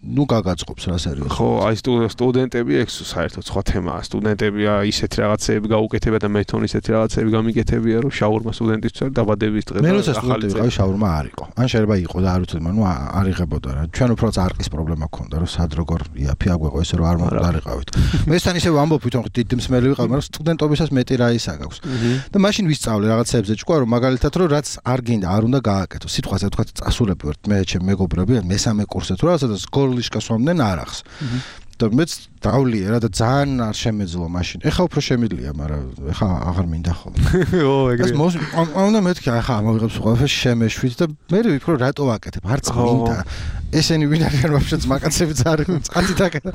ნუ გაგაწყობს რა სერიოზულად ხო აი სტუდენტები ეგ საერთოდ სხვა თემაა სტუდენტებია ისეთ რაღაცეები გაუკეთებია და მე თვითონ ისეთი რაღაცეები გამიკეთებია რომ შაურმა სტუდენტისთვის დაბადების დღე და ახალი წელი შაურმა არ იყო ან შეიძლება იყო და არ ვიცოდი მაგრამ ნუ არ იღებოდა რა ჩვენ უფრო წარყის პრობლემა გქონდა რომ სად როგორ იაფი აგვეყო ესე რომ არ მომდარიყავით მე თან ისე ვამბობ თვითონ დიდი მსმელი ვიყავ მაგრამ სტუდენტობისას მეტი რა ისა გაქვს და მაშინ ვისწავლე რაღაცებზე ჭკვა რომ მაგალითად რომ რაც არ გინდა არ უნდა გააკეთო სიტყვაზე თქვა წასულები ვართ მე ჩემ მეგობრები მესამე კურსზე თუ რაღაცა და სკოლიშკა სვამდნენ არახს და მეც დავლია რა და ძალიან არ შემეძლო მაშინ. ეხა უფრო შემიძლია, მაგრამ ეხა აღარ მინდა ხოლმე. ო, ეგრე. ეს უნდა მეთქი, ეხა ამოვიღებს ყველაფერს შემეშვით და მე ვიფიქრო რატო ვაკეთებ? არც მინდა. ესენი ვინ არიან ვაფშე ძმაკაცები ძალიან წყალი დაკეთა.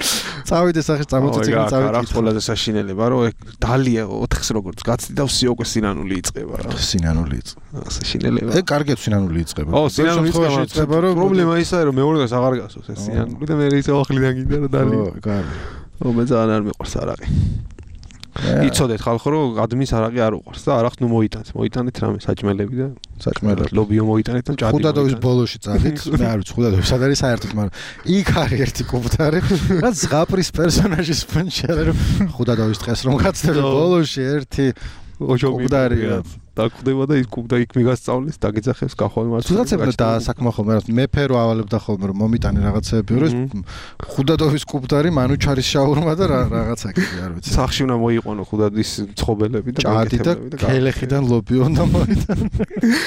წავიდე სახე წამოწეცი წავიდე. რა ყველაზე საშინელება, რომ ეგ დალია ოთხს როგორც გაცდავსი უკვე სინანული იწყება რა. სინანული იწყება. საშინელება. ეგ კარგია სინანული იწყება. ო, სინანული იწყება, რომ პრობლემა ისაა, რომ მეორედაც აღარ გასოს ეს სინანული და მე ისე ახლიდან გინდა რომ დალია. ო, კარგი. ო მე ძალიან არ მიყვარს არაყი. იცოდეთ ხალხო რომ ადმის არაყი არ უყვარს და არახს ნუ მოიტანს. მოიტანეთ რამე საჭმელები და საჭმელები. ლობიო მოიტანეთ და ჭადი. ხუდადოვის ბოლოში წავით. მე არ ვიცი ხუდადოვის სად არის საერთოდ, მაგრამ იქ არის ერთი კუბტარი, რაც ზღაპრის პერსონაჟის ფონჩი არის რომ ხუდადოვის დღეს რომ გაცდები ბოლოში ერთი კუბტარია. დაკვდება და ის კუბდა იქ მიგასწავლეს, დაგეძახებს გახვალ მარცხნივ. თუნდაც და საქმე ხოლმე რა მეფე რო ავალებდა ხოლმე რომ მომიტანე რაღაცეები რომ ხუდადოვის კუბტარი მანუჩარის შაურმა და რაღაცა კიდე არ ვიცი. სახში უნდა მოიყვანო ხუდადის მცხობელები და ჭადი და ქელეხიდან ლობიო უნდა მოიტანო.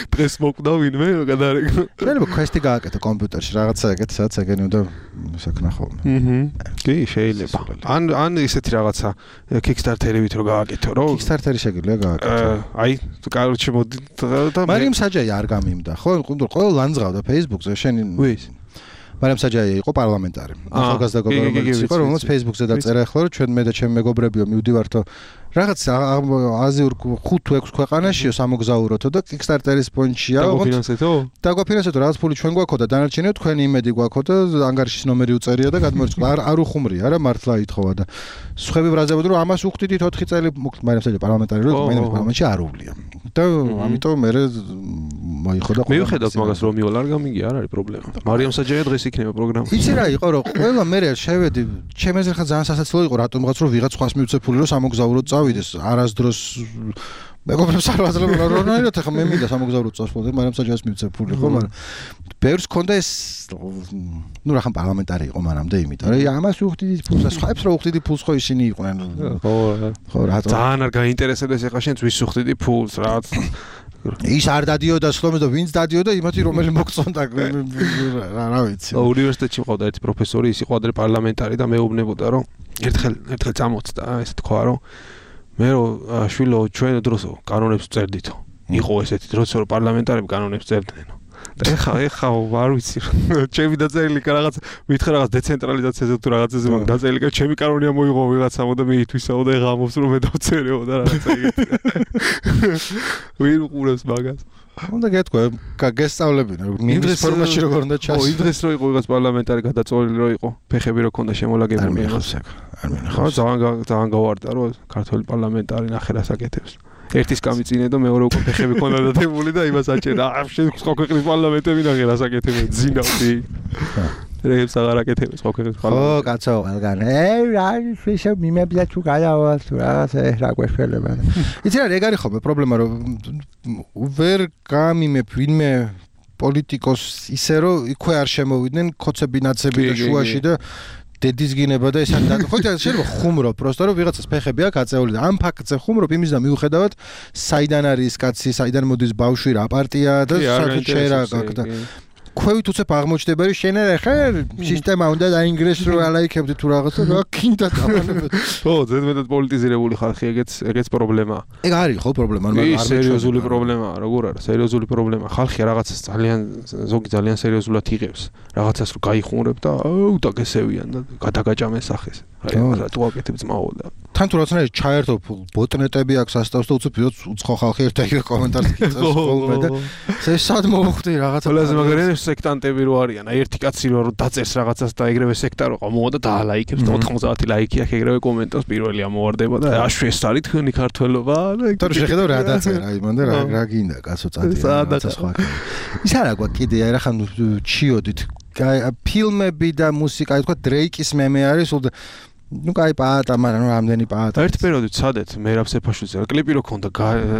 დღეს მოკვდა ვინმე გადაარეკო. შეიძლება კვესტი გააკეთო კომპიუტერში რაღაცა ეგეთ სადაც ეგენი უნდა საკნა ხოლმე. აჰა. კი შეიძლება. ან ან ისეთი რაღაცა Kickstarter-ებით რო გააკეთო რომ Kickstarter-ი შეგიძლია გააკეთო. აი კაროჩე მოდი და მარიამ საჯაი არ გამიმდა ხო ყველა ლანძღავდა Facebook-ზე შენ ვის მარიამ საჯაი იყო პარლამენტარი ახალგაზრდა გოგონა იყო რომელიც Facebook-ზე დაწერა ახლა რომ ჩვენ მე და ჩემი მეგობრებიო მივდივართო რაღაც აზიურ ხუთ თუ ექვს ქვეყანაშიო სამოგზაუროთო და Kickstarter-ის პონჩია დაგვაფინანსეთო დაგვაფინანსეთო რაღაც ფული ჩვენ გვაქო და დანარჩენია თქვენი იმედი გვაქო და ანგარიშის ნომერი უწერია და გადმოერწყვა არ არ უხუმრია რა მართლა ითხოვა და სხვები ბრაზებოდნენ რომ ამას უხდიდით ოთხი წელი მარიამ საჯაი პარლამენტარი რომ მე პარლამენტში არ უვლია და ამიტომ მე მოიხო და მივხედავთ მაგას რომ მივალ არ გამიგია არ არის პრობლემა მარიამ საჯაია დღეს იქნება პროგრამა იცი რა იყო რომ ყველა მე შევედი ჩემს ხა ძალიან სასაცილო იყო რატომღაც რომ ვიღაც ხვას მივცე ფული რომ სამოგზაუროდ წავიდეს არასდროს მეგობრებს არ ვაძლევ რონაირად ხა მე მინდა სამოგზაუროდ წავსვლა მარიამ საჯაიას მივცე ფული ხო მაგრამ ბევრს ქონდა ეს ნუ რა ხან პარლამენტარი იყო მანამდე იმიტომ რომ ამას უხდიდით ფულს და სხვაებს რა უხდიდი ფულს ხო ისინი იყვნენ ხო ხო რატო ძალიან არ გაინტერესებდეს ეხა შენც ვის უხდიდი ფულს რაც ის არ დადიოდა სლომეს და ვინც დადიოდა იმათი რომელი მოგწონდა რა ვიცი უნივერსიტეტში მყავდა ერთი პროფესორი ის იყო ადრე პარლამენტარი და მეუბნებოდა რომ ერთხელ ერთხელ წამოწდა ესე თქვა რომ მე რომ შვილო ჩვენ დროსო კანონებს წერდითო იყო ესეთი დროსო რომ პარლამენტარები კანონებს წერდნენ და ეხა ეხა არ ვიცი ჩემი დაწერილი რაღაც მითხრა რაღაც დეცენტრალიზაციაზე თუ რაღაცაზე მაგ დაწერილი ჩემი კანონია მოიღო ვიღაცამ და მე ითვისაო და იღამობს რომ მე დავწერეო და რაღაცა ეგეთი ვინ უყურებს მაგას უნდა გეტყვი გესწავლებინა მინდრეს ფორმაში როგორ უნდა ჩას ო იმ დღეს რო იყო ვიღაც პარლამენტარი გადაწოლილი რო იყო ფეხები რო ქონდა შემოლაგებული არ მინახავს არ მინახავს ხო ძალიან ძალიან გავარდა რომ ქართული პარლამენტარი ნახე რას აკეთებს ერთის გამიწინე და მეორე უკვე ფეხები ქონდა დადებული და იმას აჭერა შენ სხვა ქვეყნის პარლამენტები ნახე რას აკეთებენ ძინავდი რეებს აღარ აკეთებს სხვა ქვეყნის პარლამენტი ხო კაცო ყველგან ე რა ისე მიმებია თუ გადავალ თუ რაღაცა რა გვეშველება იცი რა ეგ არის ხოლმე პრობლემა რომ ვერ გამიმებ ვინმე პოლიტიკოს ისე რომ იქვე არ შემოვიდნენ ქოცები ნაცები და შუაში და დედის გინება და ეს არ ხო შეიძლება ხუმრობ просто რომ ვიღაცას ფეხები აქვს აწეული და ამ ფაქტზე ხუმრობ იმის და მიუხედავად საიდან არის კაცი, საიდან მოდის ბავშვი, რა პარტია და საერთოდ შეერა აქ და ქვევით უცებ აღმოჩნდება რომ შენ არა ხარ სისტემა უნდა დაინგრესო რომ ალაიქებდი თუ რაღაცა რა კიდე დავანებოთ ხო ზედმეტად პოლიტიზირებული ხალხი ეგეც ეგეც პრობლემაა ეგ არის ხო პრობლემა მაგრამ არ სერიოზული პრობლემაა როგორ არა სერიოზული პრობლემაა ხალხი რაღაცას ძალიან ზოგი ძალიან სერიოზულად იღებს რაღაცას რომ გაიხუმრებ და აუ დაგესევიან და გადაგაჭამენ სახეს აი რა თუ აკეთებ ძმაო და თან თუ რაღაცნაირად ჩაერთო ბოტნეტები აქვს ასტავს და უცებ უცხო ხალხი ერთ ეგრე კომენტარს აკეთებს ხოლმე და ეს სად მოვხვდი რაღაცა ყველაზე მაგარია სექტანტები რო არიან აი ერთი კაცი რო დაწერს რაღაცას და ეგრევე სექტა რო ყავ და დაალაიქებს და ოთხმოცდაათი ლაიქი აქვს ეგრევე კომენტავს პირველი ამოვარდება და აშ ეს არის თქვენი ქართველობა და თორე შეხედავ რა დაწერა აი მანდ რა რა გინდა კაცო წადი რაღაცა სხვა ის არა გვაქვს კიდე აი რა ხან ჩიოდით ფილმები და მუსიკა აი თქვა დრეიკის მემე არის ულ ну кай პაატა მაგრამ რამდენი პაატა ერთ პერიოდით სადეთ მერაბ სეფაშვილზე კლიპი რო ქონდა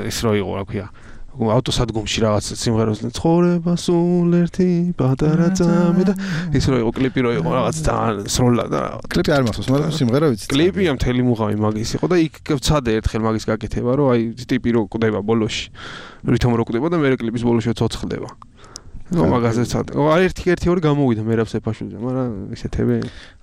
ის რო იყო რა ქვია ავტოსადგომში რაღაც სიმღერას ცხოვრება სულ ერთი პატარა ძამე და ის რო იყო კლიპი რო იყო რაღაც ძალიან სროლა და კლიპი არ მახსოვს მაგრამ სიმღერა ვიცი კლიპია მთელი მუღამი მაგის იყო და იქ ვცადე ერთხელ მაგის გაკეთება რომ აი ტიპი რო კვდება ბოლოში რითომ რო კვდება და მე კლიპის ბოლოში ცოცხლდება ну მაგაზე ცად. აი ერთი ერთი ორი გამოვიდა მერაბ სეფაშვილზე, მაგრამ ისეთები.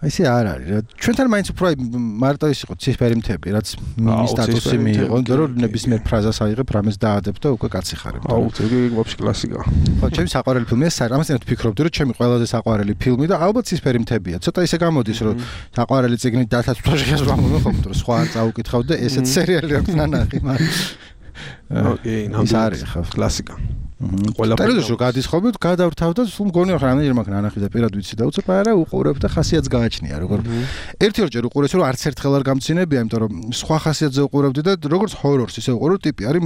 აი ესე არ არის რა. ჩვენთან მაინც უფრო აი მარტო ის იყო ციფერი მთები, რაც მის სტატუსი მიიღო, და რომ ნებისმიერ ფრაზას აიღებ, რამეს დაადებ და უკვე კაცი ხარ. აუ, ეგ ვაფშე კლასიკაა. ხო, ჩემი საყვარელი ფილმია, ამასთანავე ვფიქრობდი, რომ ჩემი ყველაზე საყვარელი ფილმი და ალბათ ციფერი მთებია. ცოტა ისე გამოდის, რომ საყვარელი წიგნი დათაცვაშიას ვამბობ, ხო, სხვა არ წაუკითხავ და ესეც სერიალი აქვს ნანახი, მაგრამ ოკეი, ნამდვილად ხო, კლასიკა. ყველაფერი რო გადის ხოლმე გადავრთავ და სულ მგონია რომ რამდენჯერ მაგ ნანახი და პირად ვიცი და უცებ არა უყურებ და ხასიათს გააჩნია როგორ ერთი ორჯერ უყურეს რომ არც ერთხელ არ გამცინებია იმიტომ რომ სხვა ხასიათზე უყურებდი და როგორც ჰორორს ისე უყურო ტიპი არის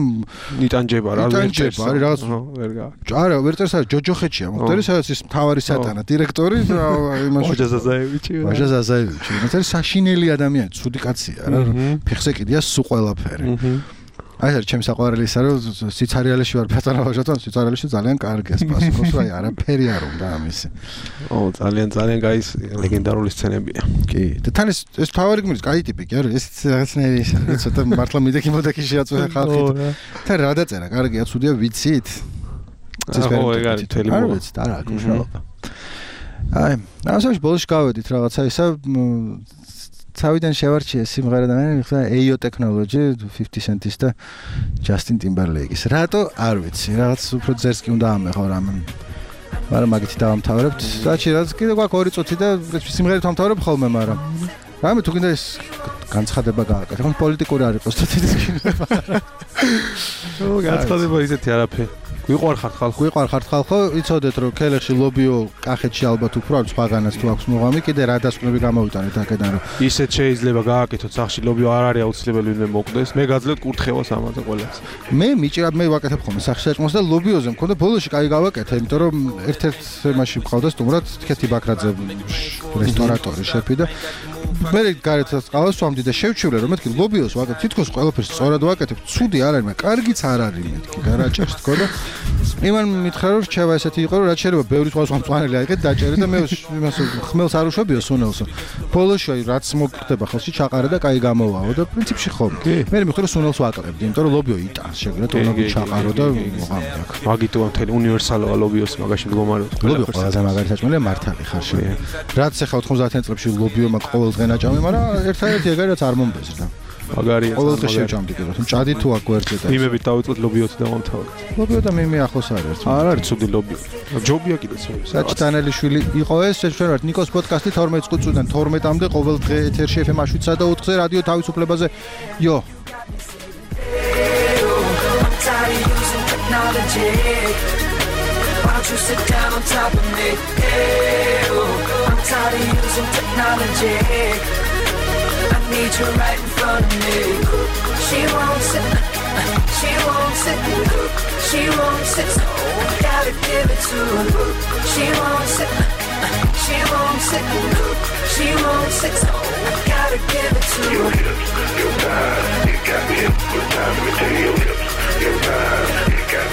ნიტანჯება რა ვერ წერს არის რაღაც ვერ გა არა ვერ წერს არის ჯოჯოხეთშია მოხდარი სადაც ის მთავარი სატანა დირექტორი იმას ვაჟა ზაზაევიჩი ვაჟა ზაზაევიჩი ეს არის საშინელი ადამიანი ცუდი კაცია რა ფეხზე კიდია სულ ყველაფერი აი ეს ჩემს საყვარელი ისა რომ სიცარიალეში ვარ პატარავაჟათან სიცარიალეში ძალიან კარგია სპასибо რა არაფერი არ უნდა ამისი ო ძალიან ძალიან გაის ლეგენდარული სცენებია კი და თან ეს ეს თავარი გმირის კაი ტიპი კი არა ეს რაღაცნაირი ისა ცოტა მართლა მიდექი მოდექი შეაწვევა ხალხი და რა დაწერა კარგია ცუდია ვიცით ო ეგ არის თელი მო არ ვიცით არა გუშაობა აი ასაშ ბოლოში გავედით რაღაცა ისა თავიდან შევარჩიე სიმღერა და მე მიხდა ეიო ტექნოლოჯი fifty cent-ის და ჯასტინ ტიმბერლეიკის. რატო? არ ვიცი. რაღაც უფრო ძერს კი უნდა ამეხო რამე. მაგრამ მაგითი დავამთავრებთ. საჩი რაც კიდე გვაქვს ორი წუთი და სიმღერით ვამთავრებ ხოლმე, მაგრამ რამე თუ კიდე ეს განცხადება გააკეთე. ხომ პოლიტიკური არ იყოს თეთრის კინოება. ო განცხადება ისეთი არაფერი. გვიყვარხართ ხალხო, გვიყვარხართ ხალხო, იცოდეთ რომ ქელეხში ლობიო კახეთში ალბათ უფრო არის სხვაგანაც თუ აქვს მოღამი, კიდე რა დასკვნები გამოვიტანეთ აქედან რომ ისეთ შეიძლება გააკეთოთ სახში ლობიო არ არის აუცილებელი ვინმე მოკვდეს. მე გაძლევთ კურთხევას ამაზე ყველას. მე მიჭირა მე ვაკეთებ ხოლმე სახში საჭმელს და ლობიოზე მქონდა ბოლოში კაი გავაკეთე, იმიტომ რომ ერთ-ერთ თემაში მყავდა სტუმრად თქეთი ბაქრაძე რესტორატორი შეფი და მე გარეთაც ყავს ვამდი და შევჩივლე რომ მეთქი ლობიოს ვაკეთებ თითქოს ყველაფერს სწორად ვაკეთებ, ცუდი არ არის, მაგრამ კარგიც არ არის მეთქი გარაჭერს თქო და იმან მითხრა რომ რჩევა ესეთი იყო რომ რაც შეიძლება ბევრი სხვა სხვა მწვანელი აიღეთ დაჭერე და მე იმას ხმელს არ უშვებიო სუნელსო ბოლოში აი რაც მოგხდება ხელში ჩაყარე და კაი გამოვაო და პრინციპში ხო მე მითხრა რომ სუნელს ვაკლებდი იმიტომ რომ ლობიო იტანს შეგვიძლია თუნდაც ჩაყარო და მოღამდა მაგიტო მთელი უნივერსალოა ლობიოს მაგაში მდგომარეობს ლობიო ყველაზე მაგარი საჭმელია მართალი ხარ შე რაც ახლა ოთხმოცდაათიან წლებში ლობიო მაგ ყოველდღე ნაჭამი მაგრამ ერთადერთი ეგარი რაც არ მომბეზრდა მაგარია ყოველდღე შევჭამდი კიდე რომ ჭადი თუ აქ გვერდზე და იმებით დავიწყოთ ლობიოთი და მომთავრეთ ლობიო და მე მე ახლოს არის არ არის ცუდი ლობიო ჯობია კიდეც საჭტანელიშვილი იყო ეს ჩვენ ვართ ნიკოს პოდკასტი თორმეტ წუთიდან თორმეტამდე ყოველ დღე ეთერში ეფ ემ შვიდსა და ოთხზე რადიო თავისუფლებაზე იო you sit down on top of me hey, oh, I'm tired of using technology I need you right in front of me she won't sit she won't sit she won't sit so I gotta give it to her she won't sit she won't sit she won't sit so I gotta give it to her your hips your thighs you got me hypnotized let me tell you your hips your thighs you got